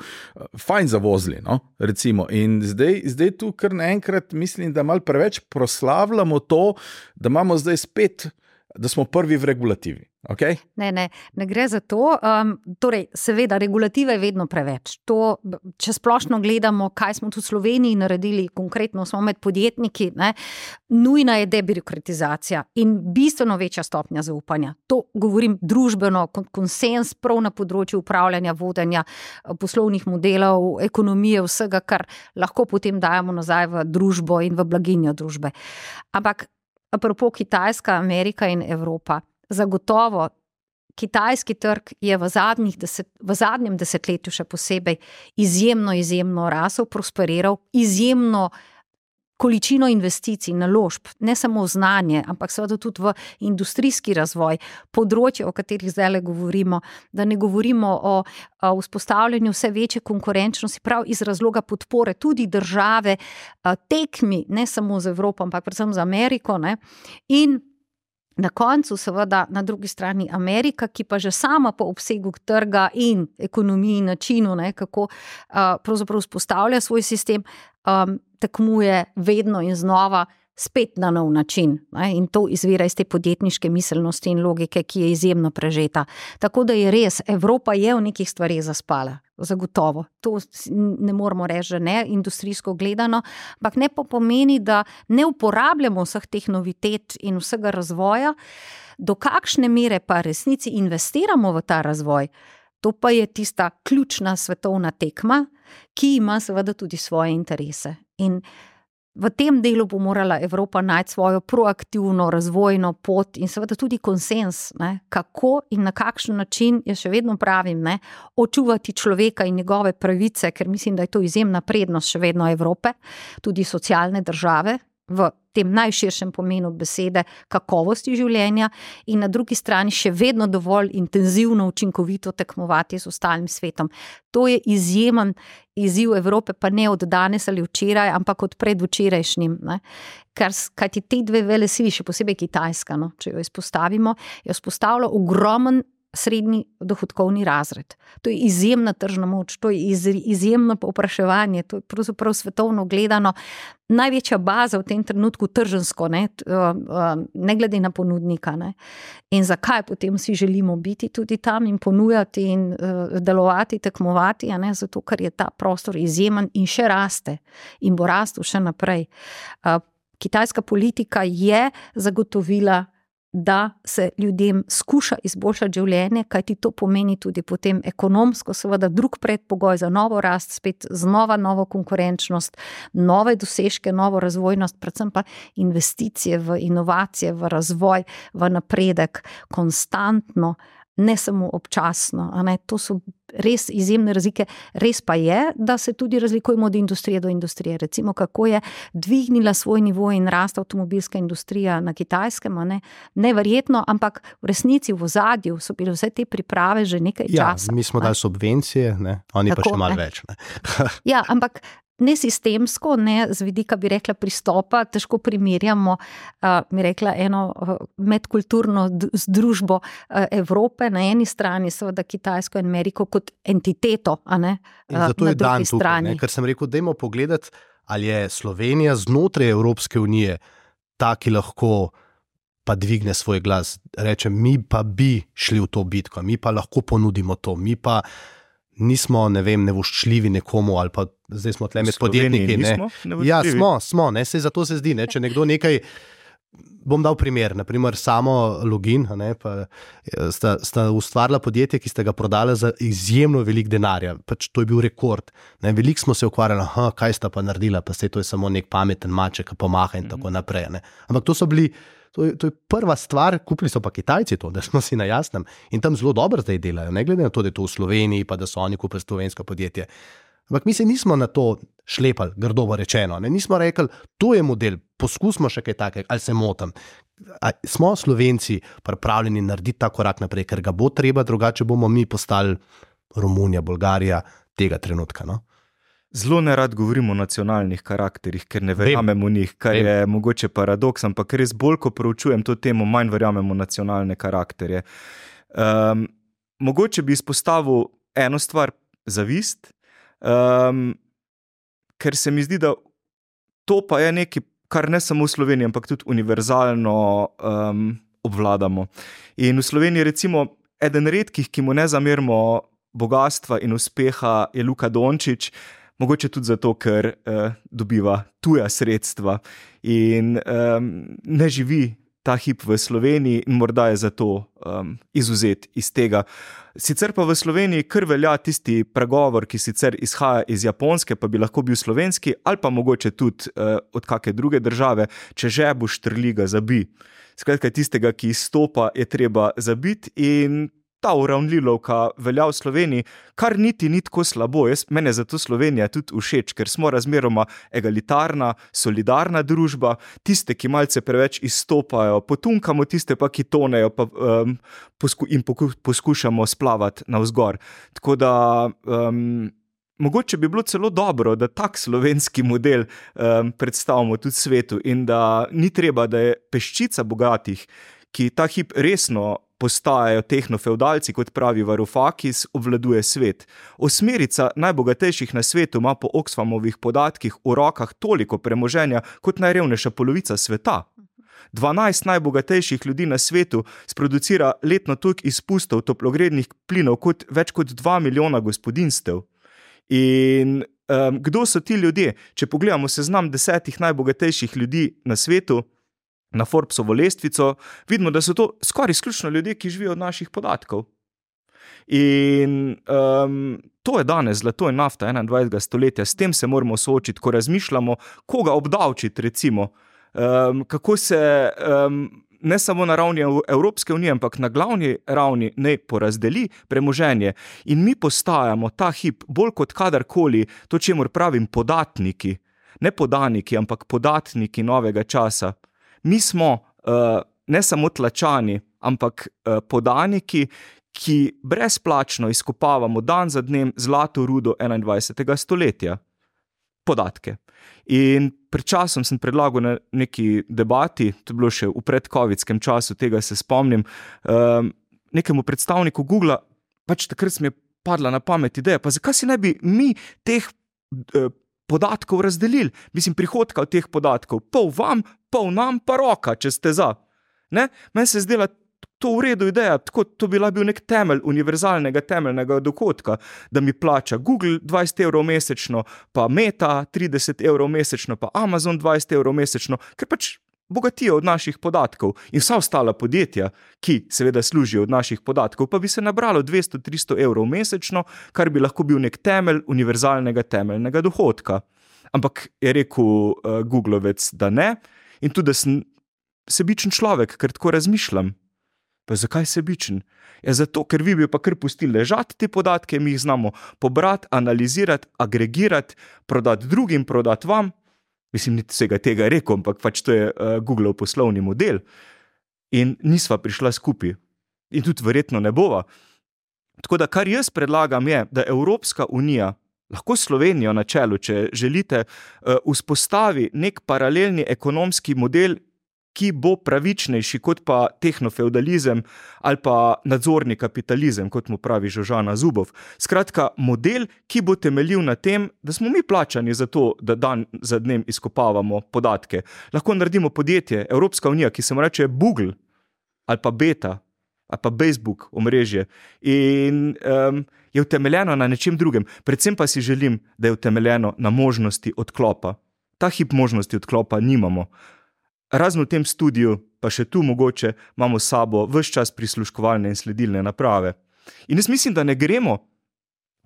fajn zavozili. No? Recimo. In zdaj tu kar naenkrat mislim, da malo preveč proslavljamo to, da imamo zdaj spet, da smo prvi v regulativi. Okay? Ne gre za to. Torej, seveda, regulativa je vedno preveč. To, če splošno gledamo, kaj smo tu v Sloveniji naredili, konkretno smo med podjetniki, nujna je debirokratizacija in bistveno večja stopnja zaupanja. To govorim družbeno, konsens prav na področju upravljanja, vodenja poslovnih modelov, ekonomije, vsega, kar lahko potem dajemo nazaj v družbo in v blaginjo družbe. Ampak apropo Kitajska, Amerika in Evropa, zagotovo kitajski trg je v zadnjem desetletju še posebej izjemno rasel, prosperiral, izjemno količino investicij, naložb, ne samo v znanje, ampak seveda tudi v industrijski razvoj, področje, o katerih zdaj govorimo, da ne govorimo o vzpostavljanju vse večje konkurenčnosti, prav iz razloga podpore tudi države, tekmi, ne samo z Evropo, ampak predvsem z Ameriko, in na koncu seveda na drugi strani Amerika, ki pa že sama po obsegu trga in ekonomiji, načinu, kako pravzaprav vzpostavlja svoj sistem, tekmuje vedno in znova spet na nov način. In to izvira iz te podjetniške miselnosti in logike, ki je izjemno prežeta. Tako da je res, Evropa je v nekih stvareh zaspala. Zagotovo. To ne moramo reči, že ne, industrijsko gledano, ampak ne pa pomeni, da ne uporabljamo vseh teh novitet in vsega razvoja, do kakšne mere pa resnici investiramo v ta razvoj. To pa je tista ključna svetovna tekma, ki ima seveda tudi svoje interese. In v tem delu bo morala Evropa najti svojo proaktivno razvojno pot in seveda tudi konsens, kako in na kakšen način, jaz še vedno pravim, očuvati človeka in njegove pravice, ker mislim, da je to izjemna prednost še vedno Evrope, tudi socialne države, v tem najširšem pomenu besede kakovosti življenja in na drugi strani še vedno dovolj intenzivno, učinkovito tekmovati z ostalim svetom. To je izjemen izziv Evrope, pa ne od danes ali včeraj, ampak od predvčerajšnjim. Kajti te dve velesili, še posebej Kitajska, če jo izpostavimo, je vzpostavila ogromen srednji dohodkovni razred. To je izjemna tržna moč, to je izjemno povpraševanje, to je pravzaprav svetovno gledano največja baza v tem trenutku tržensko, ne glede na ponudnika. In zakaj potem vsi želimo biti tudi tam in ponujati in delovati, tekmovati, zato ker je ta prostor izjemen in še raste in bo rastel še naprej. Kitajska politika je zagotovila, da se ljudem skuša izboljšati življenje, kajti to pomeni tudi potem ekonomsko, seveda drug predpogoj za novo rast, spet znova novo konkurenčnost, nove dosežke, novo razvojnost, predvsem pa investicije v inovacije, v razvoj, v napredek, konstantno, ne samo občasno. To so res izjemne razlike. Res pa je, da se tudi razlikujemo od industrije do industrije. Recimo, kako je dvignila svoj nivo in rast avtomobilska industrija na Kitajskem, neverjetno, ampak v resnici v ozadju so bile vse te priprave že nekaj časa. Mi smo dali subvencije, oni tako, pa še malo več. Ja, ampak ne sistemsko, ne z vidika, bi rekla, pristopa, težko primerjamo, bi rekla, eno medkulturno združbo Evrope na eni strani, seveda Kitajsko in Ameriko kot entiteto, na drugi strani. Ker sem rekel, dajmo pogledati, ali je Slovenija znotraj Evropske unije ta, ki lahko pa dvigne svoj glas, reče, mi pa bi šli v to bitko, mi pa lahko ponudimo to, mi pa nismo, nevoščljivi nekomu, ali pa zdaj smo tle med podjetniki. Ja, smo, sej zato se zdi, če nekdo nekaj, bom dal primer, naprimer samo Login, pa sta ustvarila podjetje, ki sta ga prodala za izjemno velik denarja, pač to je bil rekord. Veliko smo se ukvarjali, kaj sta pa naredila, pa sej to je samo nek pameten maček, ki pomaha in tako naprej. Ampak to so bili, to je prva stvar, kupili so pa Kitajci to, da smo si na jasnem in tam zelo dobro zdaj delajo, ne glede na to, da je to v Sloveniji, pa da so oni kupili slovensko podjetje. Ampak mi se nismo na to šlepali, grdovo rečeno, nismo rekli, to je model, poskusimo še kaj takega, ali se motim. smo Slovenci pripravljeni narediti ta korak naprej, ker ga bo treba, drugače bomo mi postali Romunija, Bolgarija tega trenutka. No? Zelo nerad govorimo o nacionalnih karakterih, ker ne verjamemo v njih, kar je mogoče paradoks, ampak res bolj, ko proučujem to temo, manj verjamemo v nacionalne karakterje. Mogoče bi izpostavil eno stvar, zavist, ker se mi zdi, da to pa je nekaj, kar ne samo v Sloveniji, ampak tudi univerzalno obvladamo. In v Sloveniji recimo eden redkih, ki mu ne zamerimo bogatstva in uspeha, je Luka Dončić, mogoče tudi zato, ker dobiva tuja sredstva in ne živi ta hip v Sloveniji in morda je zato izvzet iz tega. Sicer pa v Sloveniji kar velja tisti pregovor, ki sicer izhaja iz Japonske, pa bi lahko bil slovenski, ali pa mogoče tudi od kakšne druge države, če žebuš trli, ga zabi. Skratka, tistega, ki izstopa, je treba zabiti in ta uravnilovka velja v Sloveniji, kar niti ni tako slabo. Mene zato Slovenija tudi všeč, ker smo razmeroma egalitarna, solidarna družba, tiste, ki malce preveč izstopajo, potunkamo, tiste pa, ki tonejo in poskušamo splavati navzgor. Tako da mogoče bi bilo celo dobro, da tak slovenski model predstavimo tudi svetu in da ni treba, da je peščica bogatih, ki ta hip resno postajajo tehnofeudalci, kot pravi Varoufakis, obvladuje svet. Osmerica najbogatejših na svetu ima po Oxfamovih podatkih v rokah toliko premoženja kot najrevnejša polovica sveta. 12 najbogatejših ljudi na svetu sproducira letno toliko izpustov toplogrednih plinov kot več kot 2 milijona gospodinjstev. In kdo so ti ljudje? Če pogledamo seznam 10 najbogatejših ljudi na svetu, na Forbesovo lestvico, vidimo, da so to skoraj izključno ljudje, ki živijo od naših podatkov. In to je danes zlato in nafta 21. stoletja, s tem se moramo soočiti, ko razmišljamo, koga obdavčiti recimo, kako se ne samo na ravni Evropske unije, ampak na glavni ravni ne porazdeli premoženje in mi postajamo ta hip bolj kot kadarkoli, to čemur pravim podatniki, ne podaniki, ampak podatniki novega časa. Mi smo ne samo tlačani, ampak podaniki, ki brezplačno izkopavamo dan za dnem zlato rudo 21. stoletja. Podatke. In pred časom sem predlagal na neki debati, to je bilo še v predcovidskem času, tega se spomnim, nekemu predstavniku Googla, pač takrat mi je padla na pamet ideja, pa zakaj si ne bi mi teh podatkov razdelili, prihodka od teh podatkov, pol vam, pol nam, pa roka, če ste za. Meni se zdela to v redu ideja, tako to bi bil nek temelj univerzalnega temeljnega dohodka, da mi plača Google 20 € mesečno, pa Meta 30 € mesečno, pa Amazon 20 € mesečno, ker pač bogatijo od naših podatkov in vsa ostala podjetja, ki seveda služijo od naših podatkov, pa bi se nabralo 200-300 € mesečno, kar bi lahko bil nek temelj univerzalnega temeljnega dohodka. Ampak je rekel Googlovec, da ne, in tudi, da sem sebičen človek, ker tako razmišljam. Pa zakaj sebičen? Ja, zato, ker vi bi pa kar pustili ležati te podatke, mi jih znamo pobrati, analizirati, agregirati, prodati drugim, prodati vam. Niti vsega tega rekel, ampak pač to je Googlov poslovni model. In nisva prišla skupaj. In tudi verjetno ne bova. Tako da, kar jaz predlagam je, da Evropska unija, lahko Slovenijo na čelu, če želite, vzpostavi nek paralelni ekonomski model, ki bo pravičnejši kot pa tehnofeudalizem ali pa nadzorni kapitalizem, kot mu pravi Žožana Zubov. Skratka, model, ki bo temeljil na tem, da smo mi plačani za to, da dan za dnem izkopavamo podatke. Lahko naredimo podjetje, Evropska unija, ki se mu reče Google ali pa Beta ali pa Facebook omrežje in je utemeljeno na nečem drugem. Predvsem pa si želim, da je utemeljeno na možnosti odklopa. Ta hip možnosti odklopa nimamo. Razen v tem studiu, pa še tu mogoče, imamo s sabo ves čas prisluškovalne in sledilne naprave. In jaz mislim, da ne gremo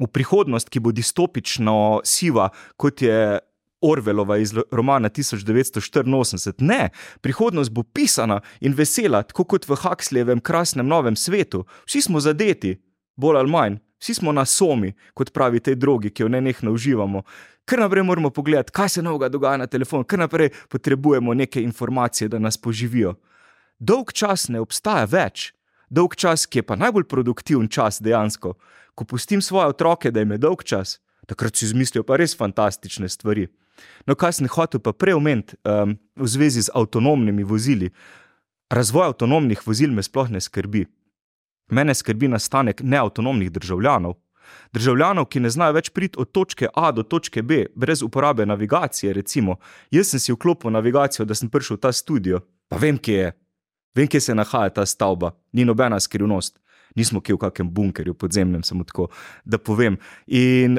v prihodnost, ki bo distopično siva, kot je Orwellova iz romana 1984. Ne, prihodnost bo pisana in vesela, tako kot v Huxleyjevem krasnem novem svetu. Vsi smo zadeti, bolj ali manj. Vsi smo na somi, kot pravi tej drogi, ki jo nenehno uživamo. Kar naprej moramo pogledati, kaj se novega dogaja na telefonu, kar naprej potrebujemo neke informacije, da nas poživijo. dolg čas ne obstaja več. Dolg čas, ki je pa najbolj produktiven čas dejansko. Ko pustim svoje otroke, da jim je dolg čas, takrat si izmislijo pa res fantastične stvari. No, kaj sem hotel pa prej omeniti v zvezi z avtonomnimi vozili. Razvoj avtonomnih vozil me sploh ne skrbi. Mene skrbi nastanek neavtonomnih državljanov. Državljanov, ki ne znajo več priti od točke A do točke B, brez uporabe navigacije, recimo. Jaz sem si vklopil navigacijo, da sem prišel v ta studio, pa vem, kje je. Vem, kje se nahaja ta stavba. Ni nobena skrivnost. Nismo kje v kakem bunkerju podzemnem, samo tako, da povem. In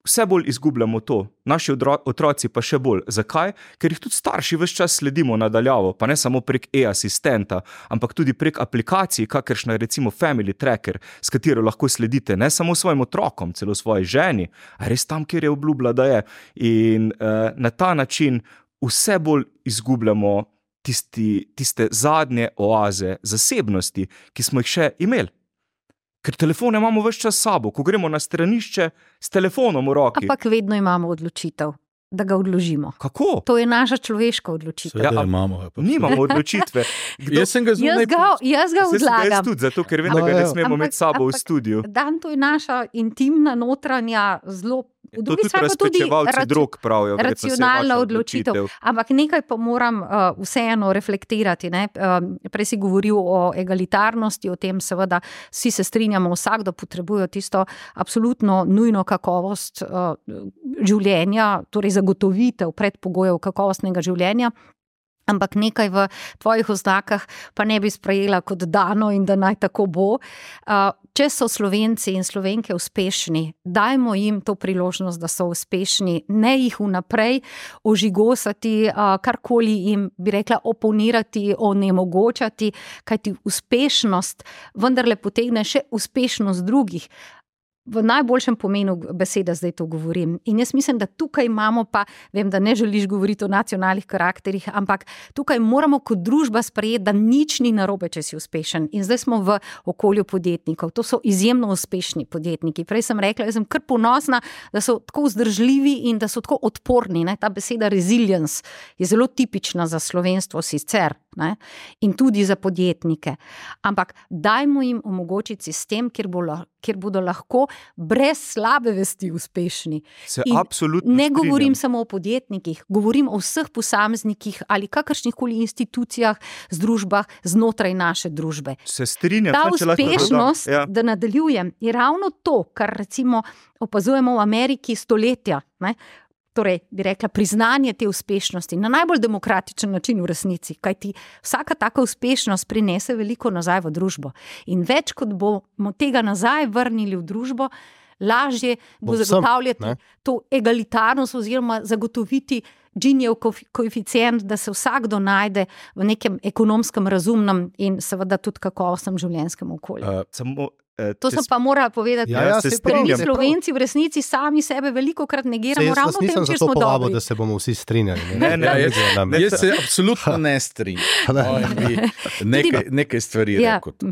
vse bolj izgubljamo to. Naši otroci pa še bolj. Zakaj? Ker jih tudi starši ves čas sledimo nadaljavo, pa ne samo prek e-asistenta, ampak tudi prek aplikacij, kakršna je recimo Family Tracker, s katero lahko sledite ne samo svojim otrokom, celo svoji ženi, a res tam, kjer je obljubila, da je. In na ta način vse bolj izgubljamo tiste zadnje oaze zasebnosti, ki smo jih še imeli. Ker telefone imamo ves čas s sabo, ko gremo na stranišče s telefonom v roki. Ampak vedno imamo odločitev, da ga odložimo. Kako? To je naša človeška odločitev. Seveda imamo. Nimamo odločitve. Jaz sem ga zunaj... Jaz ga odlagam. Jaz tudi, zato ker vem, da ga ne smemo imeti s sabo v studiu. Dan, to je naša intimna, notranja, zelo... To tudi razpečevalci drog pravijo. Racionalna odločitev. Ampak nekaj pa moram vseeno reflektirati. Ne? Prej si govoril o egalitarnosti, o tem seveda vsi se strinjamo, vsakdo potrebuje tisto absolutno nujno kakovost življenja, torej zagotovitev predpogojev kakovostnega življenja. Ampak nekaj v tvojih oznakah pa ne bi sprejela kot dano in da naj tako bo. Če so Slovenci in Slovenke uspešni, dajmo jim to priložnost, da so uspešni, ne jih vnaprej ožigosati, karkoli jim, bi rekla, oponirati, onemogočati, kajti uspešnost vendarle potegne še uspešnost drugih. V najboljšem pomenu besede zdaj to govorim. In jaz mislim, da tukaj imamo pa, vem, da ne želiš govoriti o nacionalnih karakterih, ampak tukaj moramo kot družba sprejeti, da nič ni narobe, če si uspešen. In zdaj smo v okolju podjetnikov. To so izjemno uspešni podjetniki. Prej sem rekla, jaz sem kar ponosna, da so tako vzdržljivi in da so tako odporni. Ne? Ta beseda resilience je zelo tipična za slovenstvo sicer, ne? In tudi za podjetnike. Ampak dajmo jim omogočiti sistem, kjer bodo lahko brez slabe vesti uspešni. Ne govorim samo o podjetnikih, govorim o vseh posameznikih ali kakršnihkoli institucijah, združbah znotraj naše družbe. Se strinjam. Ta uspešnost, da nadaljujem, je ravno to, kar recimo opazujemo v Ameriki stoletja, ne? Torej, bi rekla, priznanje te uspešnosti na najbolj demokratičen način v resnici, kajti vsaka taka uspešnost prinese veliko nazaj v družbo. In več, kot bomo tega nazaj vrnili v družbo, lažje bo zagotavljati to egalitarnost oziroma zagotoviti Ginijev koeficient, da se vsakdo najde v nekem ekonomskem, razumnem in seveda tudi kakovostnem življenjskem okolju. To sem pa morala povedati, mi Slovenci v resnici sami sebe velikokrat negiramo ravno v tem, če smo dobri. Povabo, da se bomo vsi strinjali. Jaz se absolutno ne strinjam. Nekaj stvari rekel.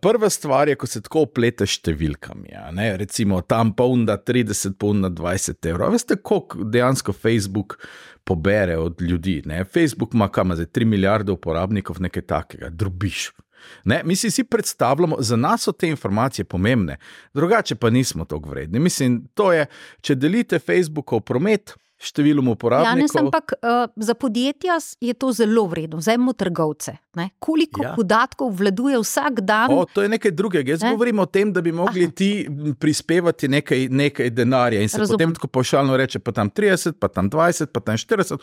Prva stvar je, ko se tako oplete številkami. Recimo tam polna 30, polna 20 evrov. Veste, koliko dejansko Facebook pobere od ljudi? Facebook ima 3 milijarde uporabnikov, nekaj takega, drobiš. Mi si predstavljamo, za nas so te informacije pomembne, drugače pa nismo toliko vredni. Mislim, to je, če delite Facebookov promet številom uporabnikov. Ampak za podjetja je to zelo vredno, vzajmo trgovce. Koliko podatkov vladuje vsak dan? To je nekaj drugega. Jaz govorim o tem, da bi mogli ti prispevati nekaj denarja in se potem tako pavšalno reče, pa tam 30, pa tam 20, pa tam 40,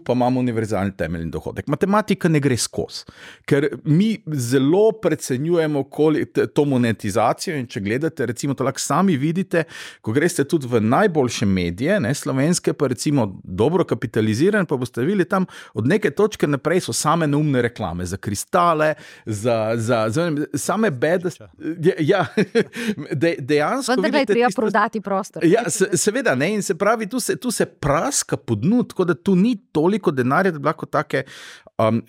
pa imamo univerzalni temeljni dohodek. Matematika ne gre skozi, ker mi zelo precenjujemo to monetizacijo in če gledate, recimo to lahko sami vidite, ko greste tudi v najboljše medije, slovenske pa recimo dobro kapitaliziran, pa boste videli tam od neke točke naprej so same neumne reklame za kristale, za same bede. Dejansko vendar je treba prodati prostor. Seveda, ne, in se pravi, tu se praska pod dnu, tako da tu ni toliko denarja, da bi lahko take,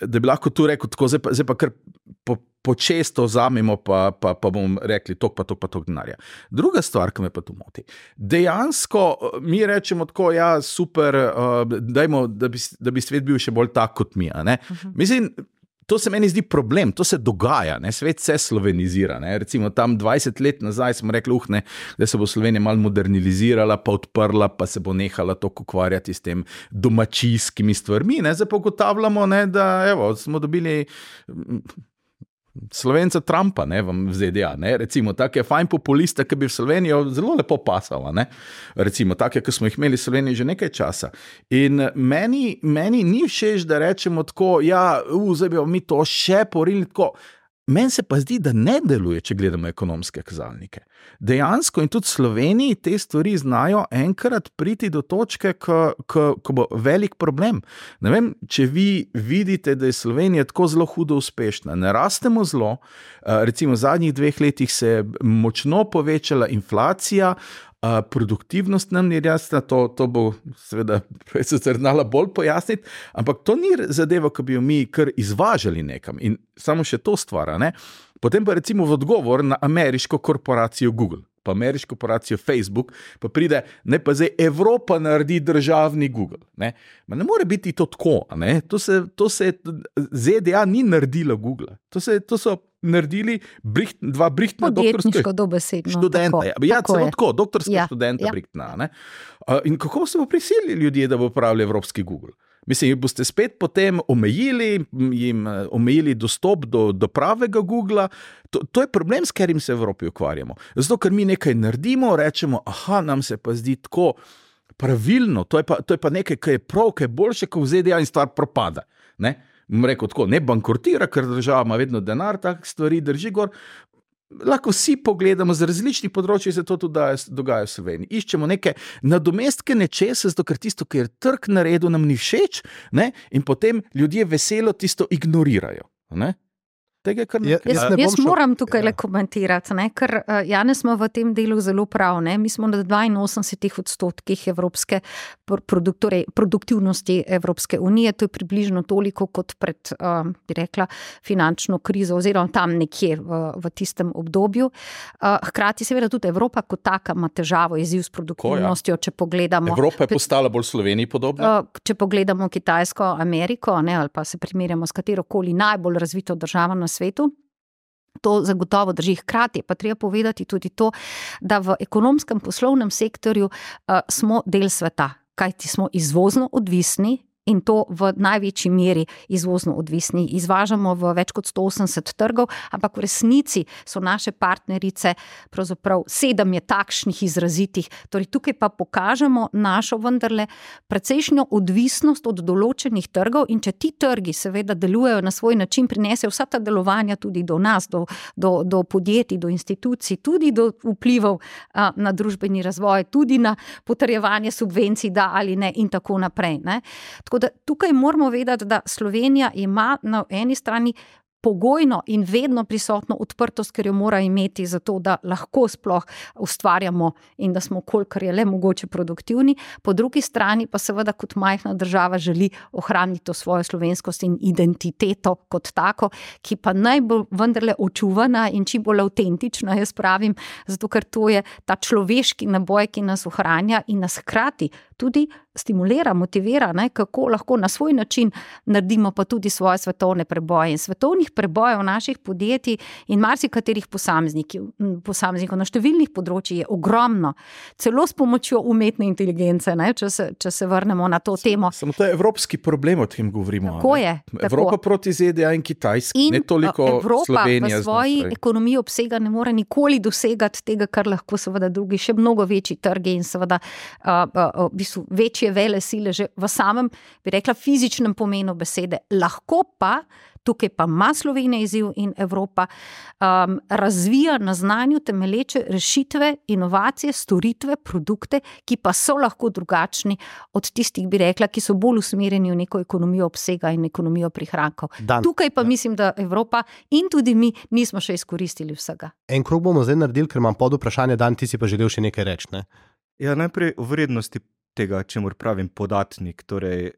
da bi lahko tu rekel, tako, zdaj pa kar počesto vzamemo, pa bomo rekli tok denarja. Druga stvar, ki me pa tu moti, dejansko mi rečemo tako, super, dajmo, da bi svet bil še bolj tak kot mi. Mislim, to se meni zdi problem, to se dogaja, ne? Svet se slovenizira. Ne? Recimo tam 20 let nazaj smo rekli, da se bo Slovenija malo modernizirala, pa odprla, pa se bo nehala toliko ukvarjati s tem domačijskimi stvarmi. Ne? Zdaj pa ugotavljamo, ne, da evo, smo dobili Slovenca Trumpa, ne, v ZDA, ne, recimo, take fajn populiste, ki bi v Slovenijo zelo lepo pasala, ne, recimo, take, ki smo jih imeli v Sloveniji že nekaj časa. In meni ni všeč, da rečemo tako, zdaj bi mi to še porili tako. Meni se pa zdi, da ne deluje, če gledamo ekonomske kazalnike. Dejansko in tudi v Sloveniji te stvari znajo enkrat priti do točke, ko bo velik problem. Ne vem, če vi vidite, da je Slovenija tako zelo hudo uspešna. Ne rastemo zelo, recimo v zadnjih 2 letih se je močno povečala inflacija, produktivnost nam ni jasna, to bo seveda profesor znala bolj pojasniti, ampak to ni zadeva, ki bi jo mi kar izvažali nekam in samo še to stvara, ne. Potem pa recimo v odgovor na ameriško korporacijo Google, pa ameriško korporacijo Facebook, pa pride, ne pa zdaj Evropa naredi državni Google, ne. Ma ne more biti to tako, ne. To se ZDA ni naredila Google, to so naredili dva Brichtna podjetniško dobesedno študenta. Celo tako, doktorska študenta Brichtna. Ne? In kako se bo prisilili ljudje, da bo uporabljali evropski Google? Mislim, boste spet potem omejili dostop do pravega Googla. To je problem, s katerim se v Evropi ukvarjamo. Zato, ker mi nekaj naredimo, rečemo, nam se pa zdi tako pravilno, to je pa nekaj, kar je prav, kar je boljše, kot v ZDA in stvar propada. Ne? Rekel tako, ne bankrotira, ker država ima vedno denar, tak stvari drži gor. Lahko vsi pogledamo, z različnih področji se to tudi dogaja v Sloveniji. Iščemo neke nadomestke nečesa, zato ker tisto, kar je trg naredil, nam ni všeč, ne? In potem ljudje veselo tisto ignorirajo. Ne? Jaz moram tukaj le komentirati, ne, ker Janez smo v tem delu zelo prav. Ne. Mi smo na 82% evropske produktivnosti Evropske unije, to je približno toliko kot pred, bi rekla, finančno krizo oziroma tam nekje v tistem obdobju. Hkrati seveda tudi Evropa kot taka ima težavo, izziv s produktivnostjo, če pogledamo. Evropa je postala bolj Sloveniji podobna? Če pogledamo Kitajsko, Ameriko, ne, ali pa se primerjamo s katerokoli najbolj razvito državo na svetu. To zagotovo drži. Hkrati pa treba povedati tudi to, da v ekonomskem poslovnem sektorju smo del sveta, kajti smo izvozno odvisni in to v največji meri izvozno odvisni. Izvažamo v več kot 180 trgov, ampak v resnici so naše partnerice, pravzaprav 7 je takšnih izrazitih. Torej tukaj pa pokažemo našo vendarle precejšnjo odvisnost od določenih trgov in če ti trgi seveda delujejo na svoj način, prinesejo vsa ta delovanja tudi do nas, do podjetij, do institucij, tudi do vplivov na družbeni razvoj, tudi na potrjevanje subvencij, da ali ne in tako naprej, ne. Tako da tukaj moramo vedeti, da Slovenija ima na eni strani pogojno in vedno prisotno odprtost, ker jo mora imeti za to, da lahko sploh ustvarjamo in da smo kolikor je le mogoče produktivni. Po drugi strani pa seveda kot majhna država želi ohraniti to svojo slovenskost in identiteto kot tako, ki pa najbolj vendarle očuvana in čim bolj avtentična, jaz pravim, zato ker to je ta človeški naboj, ki nas ohranja in nas hkrati tudi stimulira, motivira, ne, kako lahko na svoj način naredimo pa tudi svoje svetovne preboje. In svetovnih prebojev naših podjetij in marsikaterih posameznikov na številnih področjih je ogromno. Celo s pomočjo umetne inteligence, ne, če se vrnemo na to temo. Samo to je evropski problem, o tem govorimo. Tako je. Evropa proti ZDA in Kitajski, ne toliko Slovenija. Evropa v svoji ekonomiji obsega ne more nikoli dosegati tega, kar lahko seveda drugi, še mnogo večji trgi in seveda večje vele sile že v samem, bi rekla, fizičnem pomenu besede. Lahko pa, tukaj pa ima Slovenija izziv in Evropa razvija na znanju temeleče rešitve, inovacije, storitve, produkte, ki pa so lahko drugačni od tistih, bi rekla, ki so bolj usmerjeni v neko ekonomijo obsega in ekonomijo prihrankov. Tukaj pa mislim, da Evropa in tudi mi nismo še izkoristili vsega. En krog bomo zdaj naredili, ker imam pod vprašanje, Dan, ti si pa želel še nekaj reči, ne? Ja, najprej o vrednosti tega, čemur pravim podatnik, torej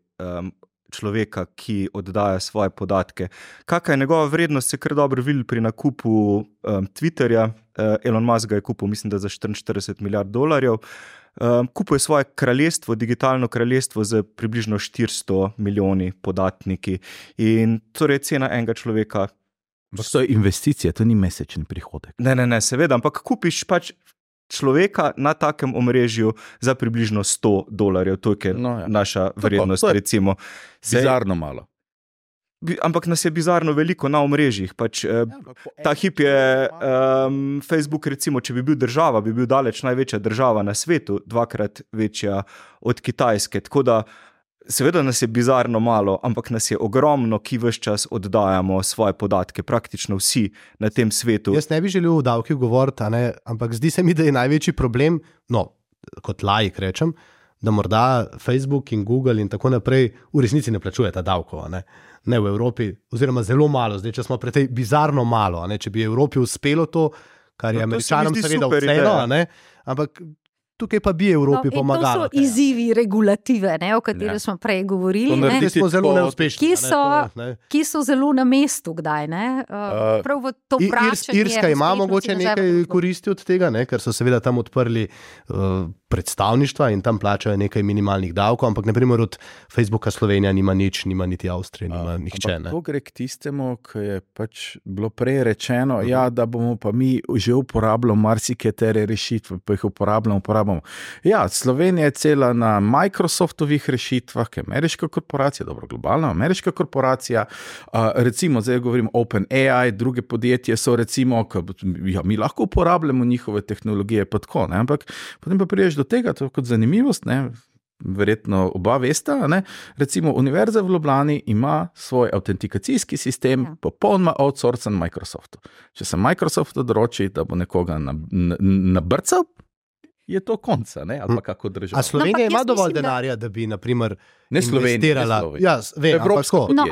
človeka, ki oddaja svoje podatke. Kakšna je njegova vrednost, se kar dobro vidi pri nakupu Twitterja, Elon Musk ga je kupil, mislim, da za $44 milijard. Kupuje svoje kraljestvo, digitalno kraljestvo z približno 400 milijoni podatniki in torej cena enega človeka. To je investicija, to ni mesečni prihodek. Ne, seveda, ampak kupiš pač človeka na takem omrežju za približno $100, to je naša vrednost, recimo. Bizarno malo. Ampak nas je bizarno veliko na omrežjih. Ta hip je Facebook, recimo, če bi bil država, bi bil daleč največja država na svetu, 2-krat večja od Kitajske. Tako da seveda nas je bizarno malo, ampak nas je ogromno, ki ves čas oddajamo svoje podatke, praktično vsi na tem svetu. Jaz ne bi želel o davkih govoriti, ampak zdi se mi, da je največji problem, kot laik rečem, da morda Facebook in Google in tako naprej v resnici ne plačujeta davkov, ne v Evropi, oziroma zelo malo, zdaj če smo pri tej bizarno malo, če bi Evropi uspelo to, kar je Američanom seveda vseeno, ampak tukaj pa bi Evropi pomagalo. To so izzivi regulative, o kateri smo prej govorili. Ki smo zelo neuspešni. Ki so zelo na mestu kdaj. Prav v to vračanje. Irska ima mogoče nekaj koristi od tega, ker so seveda tam odprli predstavništva in tam plačajo nekaj minimalnih davkov, ampak naprimer od Facebooka Slovenija nima nič, nima niti Avstrije, nima nihče. To gre k tistemu, ki je pač bilo prej rečeno, da bomo pa mi že uporabljali marsikatere rešitve, pa jih uporabljamo. Ja, Slovenija je cela na Microsoftovih rešitvah, ki je ameriška korporacija, dobro, globalna ameriška korporacija, recimo, zdaj govorim OpenAI, druge podjetje so recimo, mi lahko uporabljamo njihove tehnologije, pa tako, ampak potem pa priješ do tega, to je kot zanimivost, verjetno oba vesta, recimo Univerza v Ljubljani ima svoj autentikacijski sistem, popolnoma outsourcen Microsoftu. Če se Microsoft odroči, da bo nekoga nabrcal, je to konca, ali pa kako država. A Slovenija ima dovolj denarja, da bi, naprimer, investirala?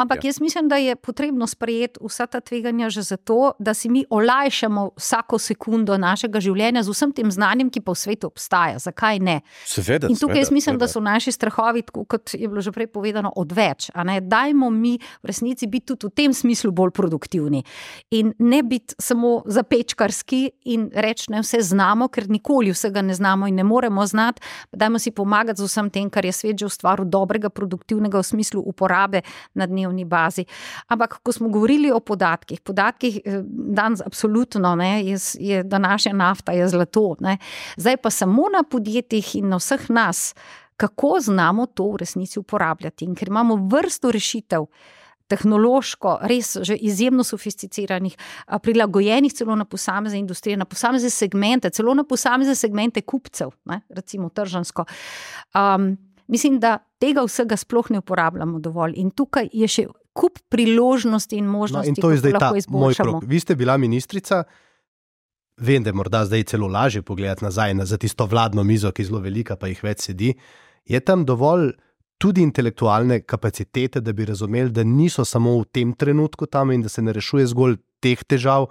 Ampak jaz mislim, da je potrebno sprejeti vsa ta tveganja že zato, da si mi olajšamo vsako sekundo našega življenja z vsem tem znanjem, ki pa v svetu obstaja. Zakaj ne? Seveda, in tukaj jaz mislim, da so naši strahovi, tako kot je bilo že prej povedano, odveč. Dajmo mi v resnici biti tudi v tem smislu bolj produktivni. In ne biti samo zapečkarski in reči, ne vse znamo, ker nikoli vsega ne znamo in ne moremo znati. Dajmo si pomagati z vsem tem, kar je svet že ustvaril dobrega, produktivnega v smislu uporabe na dnevni bazi. Ampak, ko smo govorili o podatkih danes absolutno je današnja nafta je zlato. Zdaj pa samo na podjetjih in na vseh nas, kako znamo to v resnici uporabljati. In ker imamo vrsto rešitev, tehnološko, res že izjemno sofisticiranih, prilagojenih celo na posamezne industrije, na posamezne segmente, celo na posamezne segmente kupcev, recimo tržansko. Mislim, da tega vsega sploh ne uporabljamo dovolj in tukaj je še kup priložnosti in možnosti, in to je zdaj lahko izboljšamo. Vi ste bila ministrica, vem, da je morda zdaj celo lažje pogledati nazaj za tisto vladno mizo, ki je zelo velika, pa jih več sedi. Je tam dovolj tudi intelektualne kapacitete, da bi razumeli, da niso samo v tem trenutku tam in da se ne rešuje zgolj teh težav,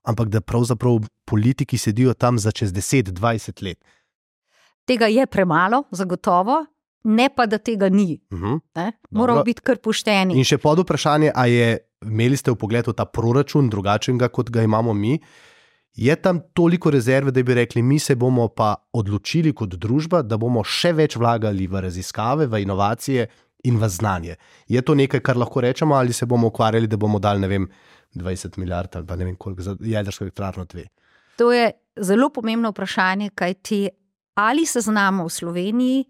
ampak da pravzaprav politiki sedijo tam za čez 10-20 let. Tega je premalo, zagotovo. Ne pa, da tega ni. Moramo biti kar pošteni. In še pod vprašanje, imeli ste vpogled v ta proračun drugačnega, kot ga imamo mi, je tam toliko rezerve, da bi rekli, mi se bomo pa odločili kot družba, da bomo še več vlagali v raziskave, v inovacije in v znanje. Je to nekaj, kar lahko rečemo, ali se bomo ukvarjali, da bomo dali, 20 milijard ali pa ne vem koliko za jedrsko elektrarno 2? To je zelo pomembno vprašanje, kajti ali se znamo v Sloveniji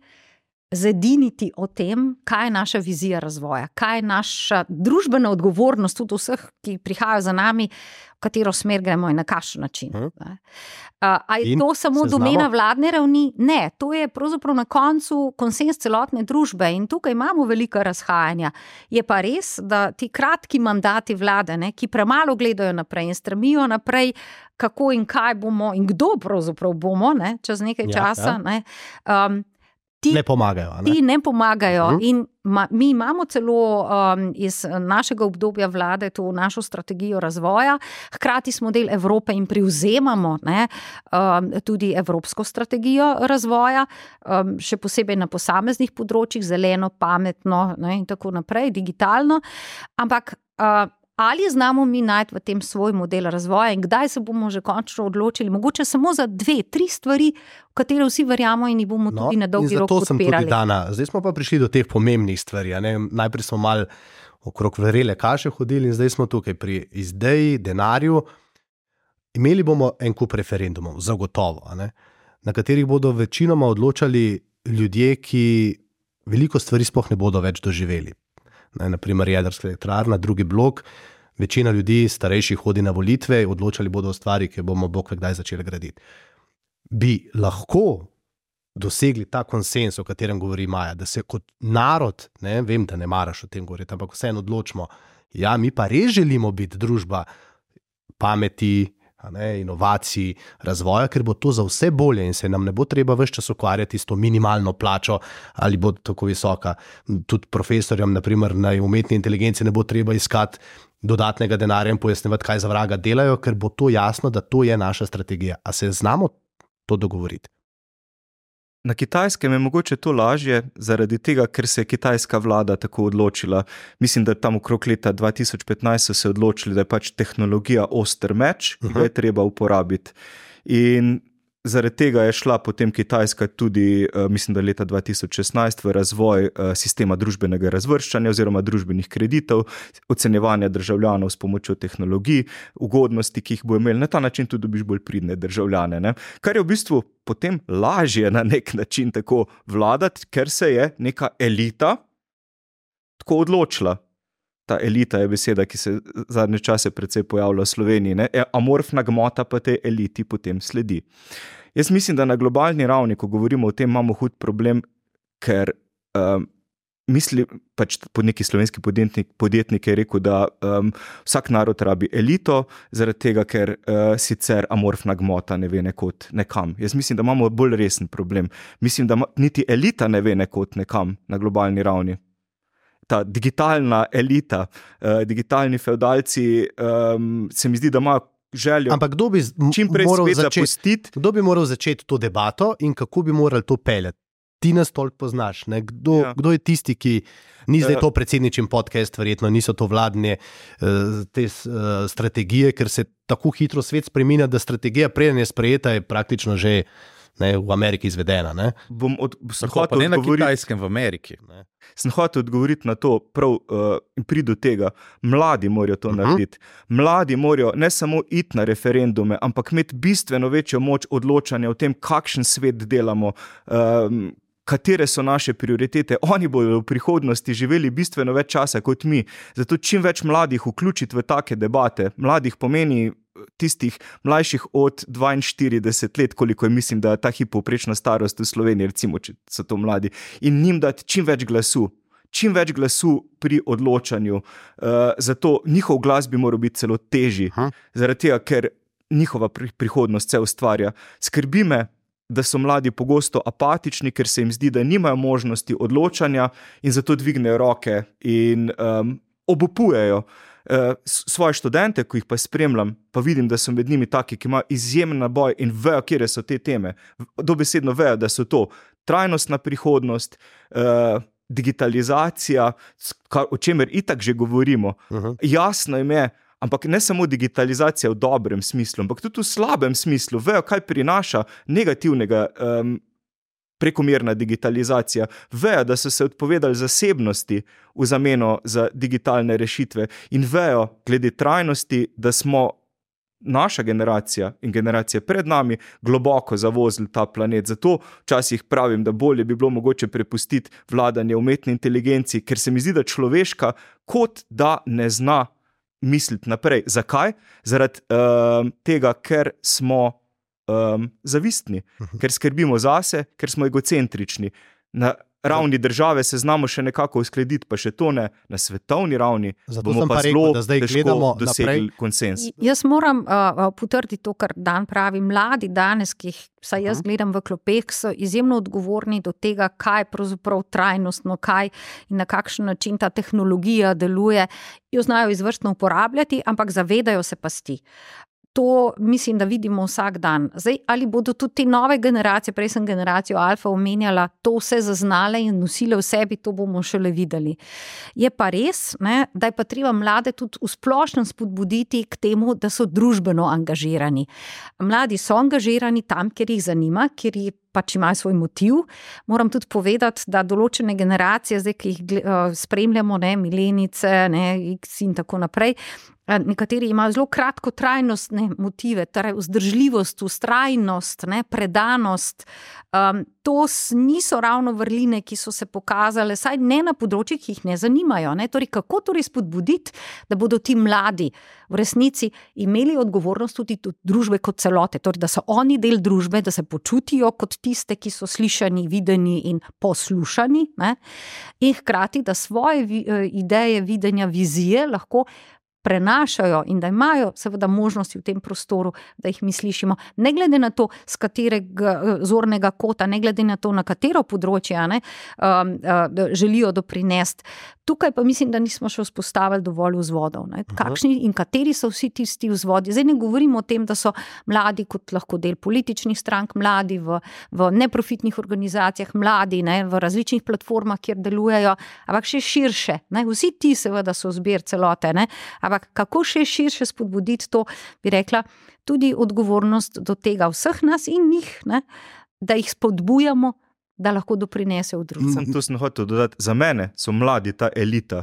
zediniti o tem, kaj je naša vizija razvoja, kaj je naša družbena odgovornost tudi vseh, ki prihajajo za nami, v katero smer gremo in na kakšen način. A je to samo domena vladne ravni? Ne, to je pravzaprav na koncu konsens celotne družbe in tukaj imamo velika razhajanja. Je pa res, da ti kratki mandati vlade, ki premalo gledajo naprej in stremijo naprej, kako in kaj bomo in kdo pravzaprav bomo, čez nekaj časa, ne pomagajo. Ti ne pomagajo in mi imamo celo iz našega obdobja vlade to našo strategijo razvoja, hkrati smo del Evrope in privzemamo tudi evropsko strategijo razvoja, še posebej na posameznih področjih, zeleno, pametno in tako naprej, digitalno, ampak Ali znamo mi najti v tem svoj model razvoja in kdaj se bomo že končno odločili, mogoče samo za 2-3 stvari, v katere vsi verjamo in jih bomo tudi na dolgi rok podpirali. Zato sem tudi dana. Zdaj smo pa prišli do teh pomembnih stvari. Najprej smo malo okrog vrele kaše hodili in zdaj smo tukaj pri ideji, denarju. Imeli bomo en kup referendumov, zagotovo, na katerih bodo večinoma odločali ljudje, ki veliko stvari sploh ne bodo več doživeli. Naprimer jedrska elektrarna, drugi blok, večina ljudi starejših hodi na volitve, odločali bodo o stvari, ki bomo bog kdaj začeli graditi. Bi lahko dosegli ta konsens, o katerem govori Maja, da se kot narod, vem, da ne maraš o tem govoriti, ampak vseeno odločimo, ja, mi pa res želimo biti družba pameti, inovacij, razvoja, ker bo to za vse bolje in se nam ne bo treba ves čas ukvarjati s to minimalno plačo ali bo tako visoka. Tudi profesorjem, naprimer na umetni inteligenci, ne bo treba iskati dodatnega denarja in pojasnjevati, kaj za vraga delajo, ker bo to jasno, da to je naša strategija. A se znamo to dogovoriti? Na Kitajskem je mogoče to lažje, zaradi tega, ker se je kitajska vlada tako odločila. Mislim, da tam okrog leta 2015 so se odločili, da je pač tehnologija oster meč, ki ga je treba uporabiti. In zaradi tega je šla potem Kitajska tudi, mislim, da leta 2016 v razvoj sistema družbenega razvrščanja oziroma družbenih kreditov, ocenjevanja državljanov s pomočjo tehnologij, ugodnosti, ki jih bo imeli. Na ta način tudi dobiš bolj pridne državljane. Kar je v bistvu potem lažje na nek način tako vladati, ker se je neka elita tako odločila. Ta elita je beseda, ki se zadnje čase precej pojavlja v Sloveniji. Amorfna gmota pa tej eliti potem sledi. Jaz mislim, da na globalni ravni, ko govorimo o tem, imamo hud problem, ker pač pod neki slovenski podjetnik je rekel, da vsak narod rabi elito, zaradi tega, ker sicer amorfna gmota ne ve nekod nekam. Jaz mislim, da imamo bolj resen problem. Mislim, da niti elita ne ve nekod nekam na globalni ravni. Ta digitalna elita, digitalni fevdalci, se mi zdi, da imajo željo. Ampak kdo bi moral začeti to debato in kako bi morali to peljati? Ti nas toliko poznaš. Kdo je tisti, ki ni zdaj to predsedničin podcast, verjetno niso to vladne te strategije, ker se tako hitro svet spreminja, da strategija preden je sprejeta je praktično že v Ameriki izvedena. Ne na Kitajskem, v Ameriki. Sem hotel odgovoriti na to, prav in pridi do tega. Mladi morajo to narediti. Mladi morajo ne samo iti na referendume, ampak imeti bistveno večjo moč odločanja o tem, kakšen svet delamo, katere so naše prioritete. Oni bodo v prihodnosti živeli bistveno več časa kot mi. Zato čim več mladih vključiti v take debate. Mladih pomeni tistih mlajših od 42 let, koliko je, mislim, da je ta povprečna starost v Sloveniji, recimo, če so to mladi, in njim dati čim več glasu pri odločanju. Zato njihov glas bi moral biti celo težji, zaradi tega, ker njihova prihodnost se ustvarja. Skrbi me, da so mladi pogosto apatični, ker se jim zdi, da nimajo možnosti odločanja in zato dvignejo roke in obupujejo. Svoje študente, ko jih pa spremljam, pa vidim, da so med njimi taki, ki imajo izjemen naboj in vejo, kje so te teme. Dobesedno vejo, da so to trajnostna prihodnost, digitalizacija, o čemer itak že govorimo. Jasno jim je, ampak ne samo digitalizacija v dobrem smislu, ampak tudi v slabem smislu. Vejo, kaj prinaša negativnega prekomerna digitalizacija. Vejo, da so se odpovedali zasebnosti v zameno za digitalne rešitve in vejo, glede trajnosti, da smo naša generacija in generacije pred nami globoko zavozili ta planet. Zato včasih pravim, da bolje bi bilo mogoče prepustiti vladanje umetni inteligenci, ker se mi zdi, da človeška kot da ne zna misliti naprej. Zakaj? Zaradi tega, ker smo zavistni, ker skrbimo zase, ker smo egocentrični. Na ravni države se znamo še nekako uskladiti, pa še to ne, na svetovni ravni bomo pa zelo težko dosegli konsens. Jaz moram potrditi to, kar Dan pravi. Mladi danes, ki jih vsaj jaz gledam v klopeh, so izjemno odgovorni do tega, kaj pravzaprav trajnostno, kaj in na kakšen način ta tehnologija deluje. Jo znajo izvrstno uporabljati, ampak zavedajo se pasti. To mislim, da vidimo vsak dan. Zdaj, ali bodo tudi te nove generacije, prej sem generacijo alfa omenjala, to vse zaznale in nosile v sebi, to bomo šele videli. Je pa res, ne, da je pa treba mlade tudi v splošnem spodbuditi k temu, da so družbeno angažirani. Mladi so angažirani tam, kjer jih zanima, kjer jih pač imajo svoj motiv. Moram tudi povedati, da določene generacije, zdaj, ki jih spremljamo, ne, milenice, ne, X in tako naprej, nekateri imajo zelo kratkotrajnostne motive, torej vzdržljivost, vztrajnost, ne, predanost. To niso ravno vrline, ki so se pokazale, saj ne na področjih, ki jih ne zanimajo. Ne. Torej, kako torej spodbuditi, da bodo ti mladi v resnici imeli odgovornost tudi do družbe kot celote, torej, da so oni del družbe, da se počutijo kot tiste, ki so slišani, videni in poslušani, ne. In hkrati, da svoje ideje, videnja, vizije lahko prenašajo in da imajo seveda možnosti v tem prostoru, da jih mi slišimo, ne glede na to, z katerega zornega kota, ne glede na to, na katero področje želijo doprinesti. Tukaj pa mislim, da nismo še vzpostavili dovolj vzvodov. Ne? Kakšni in kateri so vsi tisti vzvodi? Zdaj ne govorimo o tem, da so mladi kot lahko del političnih strank, mladi v neprofitnih organizacijah, mladi, ne, v različnih platformah, kjer delujejo, ampak še širše. Ne? Vsi ti seveda so zbir celote, ne? Ampak kako še širše spodbuditi to, bi rekla, tudi odgovornost do tega vseh nas in njih, ne? Da jih spodbujamo, da lahko doprinese v drugem. To sem hotel dodati. Za mene so mladi ta elita,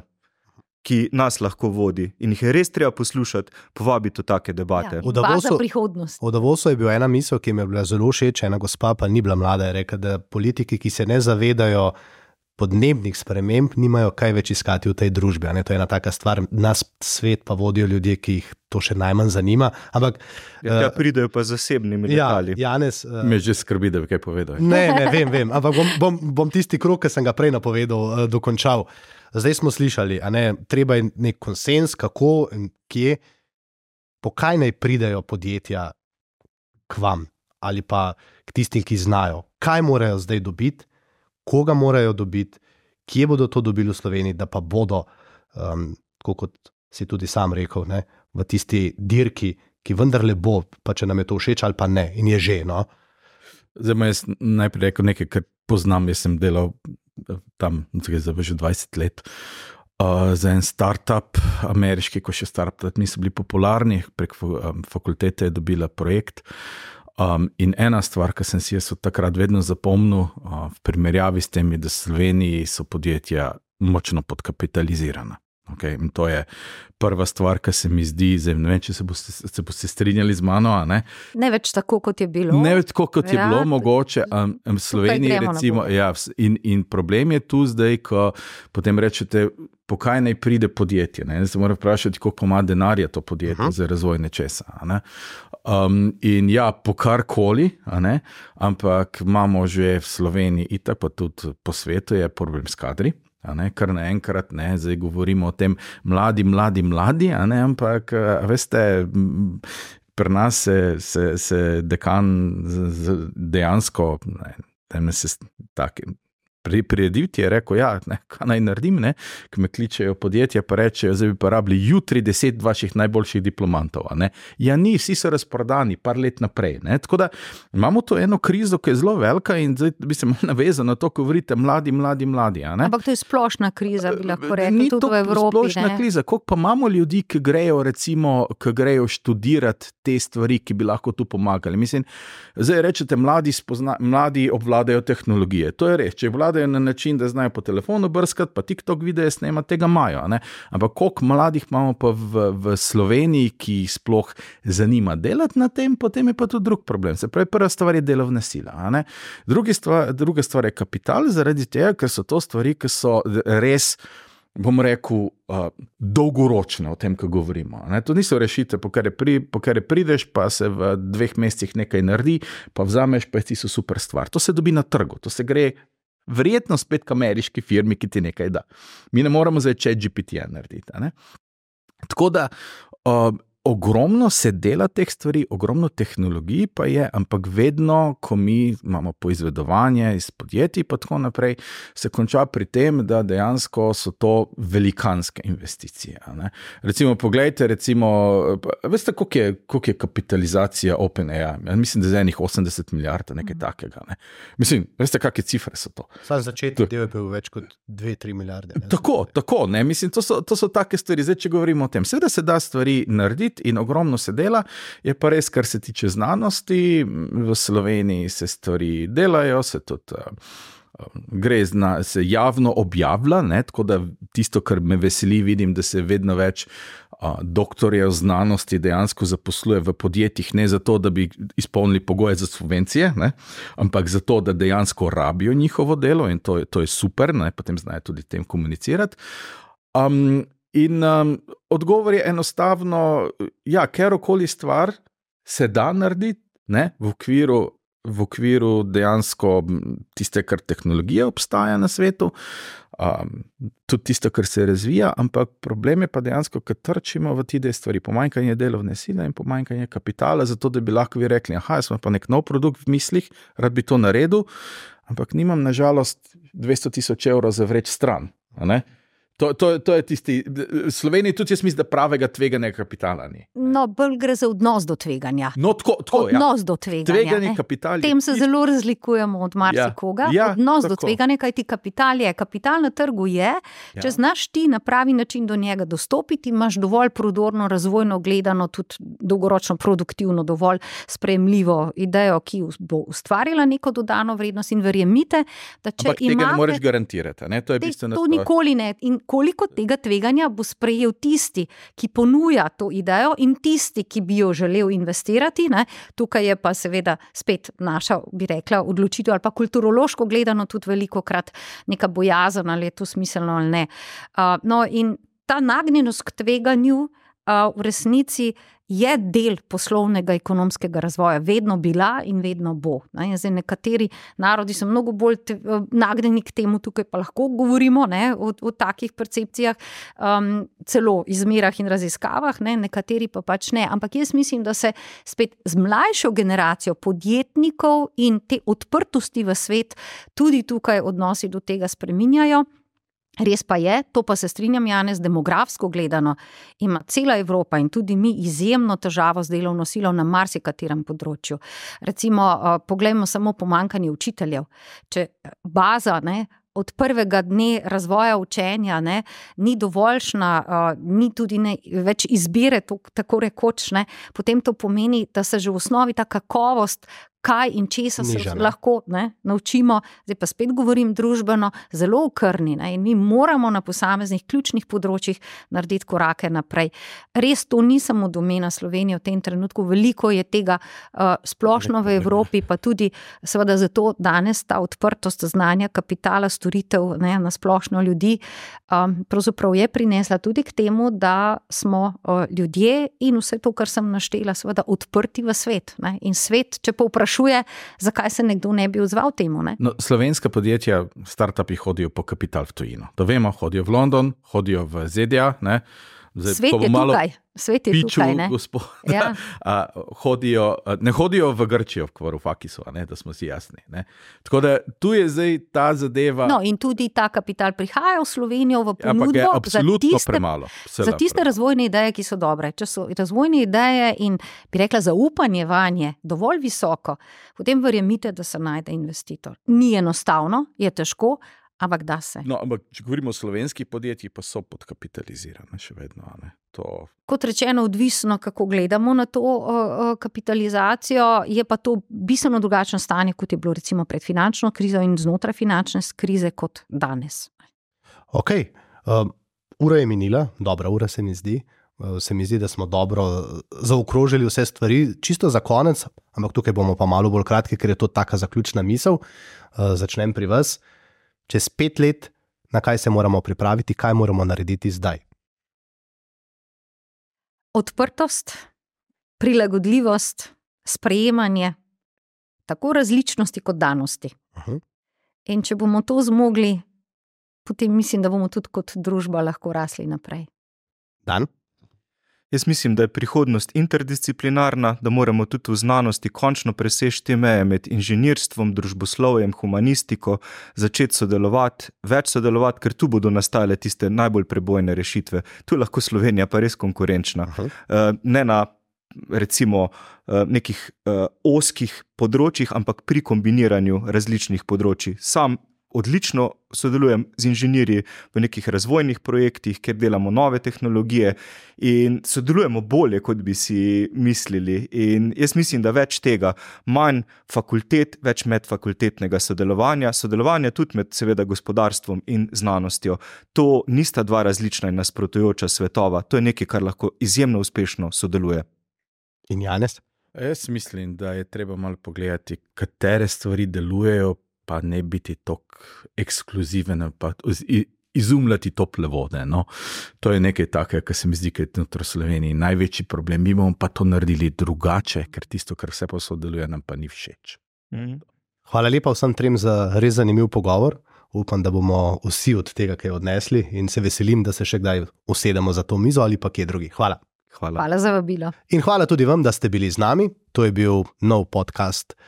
ki nas lahko vodi in jih je res treba poslušati, povabiti v take debate. Ja, baza prihodnost. V Davosu je bila ena misel, ki mi je bila zelo všeč, ena gospa pa ni bila mlada, je rekla, da politiki, ki se ne zavedajo podnebnih sprememb, nimajo kaj več iskati v tej družbi. Ne? To je ena taka stvar, nas svet pa vodijo ljudje, ki jih to še najmanj zanima. Ampak pridejo pa zasebnimi letali. Janez, me že skrbi, da bi kaj povedal. Ne, vem. Ampak bom tisti krog, ki sem ga prej napovedal, dokončal. Zdaj smo slišali, a ne, treba je nek konsens, kako in kje, po kaj naj pridejo podjetja k vam ali pa k tistim, ki znajo. Kaj morajo zdaj dobiti? Koga morajo dobiti, kje bodo to dobili v Sloveniji, da pa bodo, kot si tudi sam rekel, ne, v tisti dirki, ki vendarle bo, pa če nam je to všeč ali pa ne, in je že, no. Zdaj jaz najprej rekel nekaj, kar poznam, jaz sem delal tam, zdaj že 20 let, za en startup ameriški, ko še startup, mi so bili popularni, prek fakultete je dobila projekt. In ena stvar, ki sem si jaz od takrat vedno zapomnil, v primerjavi s temi, da v Sloveniji so podjetja močno podkapitalizirana. Okay? In to je prva stvar, ki se mi zdi, zdaj ne vem, če se boste strinjali z mano, a ne? Ne več tako, kot je bilo. Ne več tako, kot je bilo, mogoče. V Sloveniji recimo, ja, in problem je tu zdaj, ko potem rečete, po kaj naj pride podjetje. Ne? Se mora vprašati, koliko ima denarja to podjetje za razvoj nečesa. Ne? In ja, po karkoli, ampak imamo že v Sloveniji itak, pa tudi po svetu je problem s kadri. Kar naenkrat, zdaj govorimo o tem mladi, ampak veste, pri nas se dekan dejansko, prirediti je rekel, ja, kaj naj naredim, ko me kličejo podjetja, pa rečejo, zdaj bi pa rabili jutri 10 vaših najboljših diplomantov. Ja, ni, vsi so razprodani par let naprej. Tako da imamo to eno krizo, ki je zelo velika in zdaj bi se malo navezal na to, ko govorite mladi. Ampak to je splošna kriza, bi lahko rekli, tudi v Evropi. Ni to splošna kriza, koliko pa imamo ljudi, ki grejo študirati te stvari, ki bi lahko tu pomagali. Mislim, zdaj rečete, mladi obvladajo tehnologije. To je res, če na način, da znajo po telefonu brskati, pa TikTok videe snemati, tega imajo. Ampak koliko mladih imamo pa v Sloveniji, ki jih sploh zanima delati na tem, potem je pa tudi drug problem. Se pravi, prva stvar je delovna sila. Druga stvar je kapital, zaradi tega, ker so to stvari, ki so res, bom rekel, dolgoročne o tem, ko govorimo. To niso rešitve, po kar prideš, pa se v 2 mesecih nekaj naredi, pa vzameš, pa je tisto super stvar. To se dobi na trgu, to se gre verjetno spet k ameriški firmi, ki ti nekaj da. Mi ne moramo zdaj ChatGPT narediti. Tako da ogromno se dela teh stvari, ogromno tehnologij pa je, ampak vedno, ko mi imamo poizvedovanje iz podjetij pa tako naprej, se konča pri tem, da dejansko so to velikanske investicije. Ne? Recimo, poglejte, veste, koliko je kapitalizacija OpenAI? Mislim, da je enih 80 milijard, nekaj takega. Ne? Mislim, veste, kakšne cifre so to? Sam začetek del je bil več kot 2-3 milijarde. Tako, ne? Mislim, to so take stvari. Zdaj, če govorimo o tem, seveda se da stvari narediti, in ogromno se dela, je pa res, kar se tiče znanosti, v Sloveniji se stvari delajo, se tudi se javno objavlja, ne? Tako da tisto, kar me veseli, vidim, da se vedno več doktorjev znanosti dejansko zaposluje v podjetjih, ne zato, da bi izpolnili pogoje za subvencije, ne? Ampak zato, da dejansko rabijo njihovo delo in to je super, ne? Potem znajo tudi tem komunicirati. In odgovor je enostavno, kjerokoli stvar se da narediti, ne, v okviru dejansko tiste, kar tehnologija obstaja na svetu, tudi tisto, kar se razvija, ampak problem je pa dejansko, ker trčimo v te stvari, pomanjkanje delovne sile in pomanjkanje kapitala, zato da bi lahko vi rekli, jaz imam pa nek nov produkt v mislih, rad bi to naredil, ampak nimam nažalost 200,000 evrov za vreč stran, ne. To je tisti, v Sloveniji tudi jaz mislim, da pravega tveganja kapitala ni. No, bolj gre za odnos do tveganja. No, tako, odnos do tveganja. Tveganje kapital. Tem se zelo razlikujemo od marsikoga. Odnos do tveganja, kajti kapital na trgu je, če znaš ti na pravi način do njega dostopiti, imaš dovolj prodorno, razvojno gledano, tudi dolgoročno produktivno, dovolj sprejemljivo idejo, ki bo ustvarila neko dodano vrednost in verjemite, da če ampak tega ne moreš garantirati, ne? To je bistveno. To nikoli ne. In koliko tega tveganja bo sprejel tisti, ki ponuja to idejo in tisti, ki bi jo želel investirati, ne? Tukaj je pa seveda spet naša, bi rekla, odločitev ali pa kulturološko gledano tudi velikokrat neka bojazen, ali je to smiselno ali ne. No, in ta nagnjenost k tveganju v resnici je del poslovnega ekonomskega razvoja, vedno bila in vedno bo. Zdaj, nekateri narodi so mnogo bolj nagnjeni k temu, tukaj pa lahko govorimo, ne, o takih percepcijah, celo izmerah in raziskavah, ne, nekateri pa pač ne. Ampak jaz mislim, da se spet z mlajšo generacijo podjetnikov in te odprtosti v svet tudi tukaj odnosi do tega spreminjajo. Res pa je, to pa se strinjam, Janez, demografsko gledano ima cela Evropa in tudi mi izjemno težavo z delovno silo na marsikaterem področju. Recimo, poglejmo samo pomanjkanje učiteljev. Če baza, ne, od prvega dne razvoja učenja, ne, ni dovoljšna, ni tudi več izbire, tako rekoč, ne, potem to pomeni, da se že v osnovi ta kakovost, kaj in česa se lahko, ne, naučimo, zdaj pa spet govorim družbeno, zelo okrni, ne, in mi moramo na posameznih ključnih področjih narediti korake naprej. Res to ni samo domena Slovenije v tem trenutku, veliko je tega splošno v Evropi, pa tudi seveda zato danes ta odprtost znanja, kapitala, storitev, ne, na splošno ljudi, pravzaprav je prinesla tudi k temu, da smo ljudje in vse to, kar sem naštela, seveda odprti v svet, ne, in svet, če pa vprašuje, zakaj se nekdo ne bi odzval temu, ne? No, slovenska podjetja, startupi hodijo po kapital v tujino. To vemo, hodijo v London, hodijo v ZDA, ne? Zdaj, svet je tukaj, ne? Ja. Ne hodijo v Grčijo, v Varoufakisu, da smo si jasni. Ne? Tako da tu je zdaj ta zadeva. No, in tudi ta kapital prihaja v Slovenijo v ponudbo za tiste razvojne ideje, ki so dobre. Če so razvojne ideje in, bi rekla, zaupanje vanje dovolj visoko, potem verjemite, da se najde investitor. Ni enostavno, je težko, ampak da se. No, ampak če govorimo o slovenskih podjetjih, pa so podkapitalizirane še vedno, ne? Kot rečeno, odvisno, kako gledamo na to kapitalizacijo, je pa to bistveno drugačno stanje, kot je bilo recimo pred finančno krizo in znotraj finančne krize kot danes. Ok, ura je minila, dobra ura se mi zdi. Se mi zdi, da smo dobro zaokrožili vse stvari, čisto za konec, ampak tukaj bomo pa malo bolj kratki, ker je to taka zaključna misel. Začnem pri vas. Čez 5 let, na kaj se moramo pripraviti, kaj moramo narediti zdaj? Odprtost, prilagodljivost, sprejemanje, tako različnosti kot danosti. In če bomo to zmogli, potem mislim, da bomo tudi kot družba lahko rasli naprej. Dan? Jaz mislim, da je prihodnost interdisciplinarna, da moramo tudi v znanosti končno preseči te meje med inženirstvom, družboslovjem, humanistiko, začeti sodelovati, več sodelovati, ker tu bodo nastajale tiste najbolj prebojne rešitve. Tu je lahko Slovenija pa res konkurenčna. Ne na recimo nekih ozkih področjih, ampak pri kombiniranju različnih področij. Sam odlično sodelujem z inženirji v nekih razvojnih projektih, kjer delamo nove tehnologije in sodelujemo bolje, kot bi si mislili. In jaz mislim, da več tega, manj fakultet, več medfakultetnega sodelovanja tudi med seveda gospodarstvom in znanostjo. To nista dva različna in nasprotujoča svetova, to je nekaj, kar lahko izjemno uspešno sodeluje. In Janez? Jaz mislim, da je treba malo pogledati, katere stvari delujejo, pa ne biti tako ekskluziven, pa izumljati tople vode. No? To je nekaj takega, kar se mi zdi, da je v Sloveniji največji problem. Mi bomo pa to naredili drugače, ker tisto, kar vse posodeluje, nam pa ni všeč. Hvala lepa vsem trem za res zanimiv pogovor. Upam, da bomo vsi od tega kaj odnesli in se veselim, da se še kdaj usedemo za to mizo ali pa kje drugi. Hvala. Hvala za vabilo. In hvala tudi vam, da ste bili z nami. To je bil nov podcast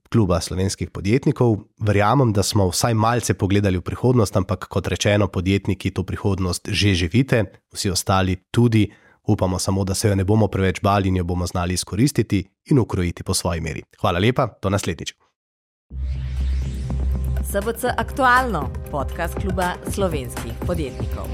Kluba slovenskih podjetnikov. Verjamem, da smo vsaj malce pogledali v prihodnost, ampak kot rečeno, podjetniki to prihodnost že živite, vsi ostali tudi. Upamo samo, da se jo ne bomo preveč bali in jo bomo znali izkoristiti in ukrojiti po svoji meri. Hvala lepa, do naslednjič. SBC Aktualno, podcast Kluba slovenskih podjetnikov.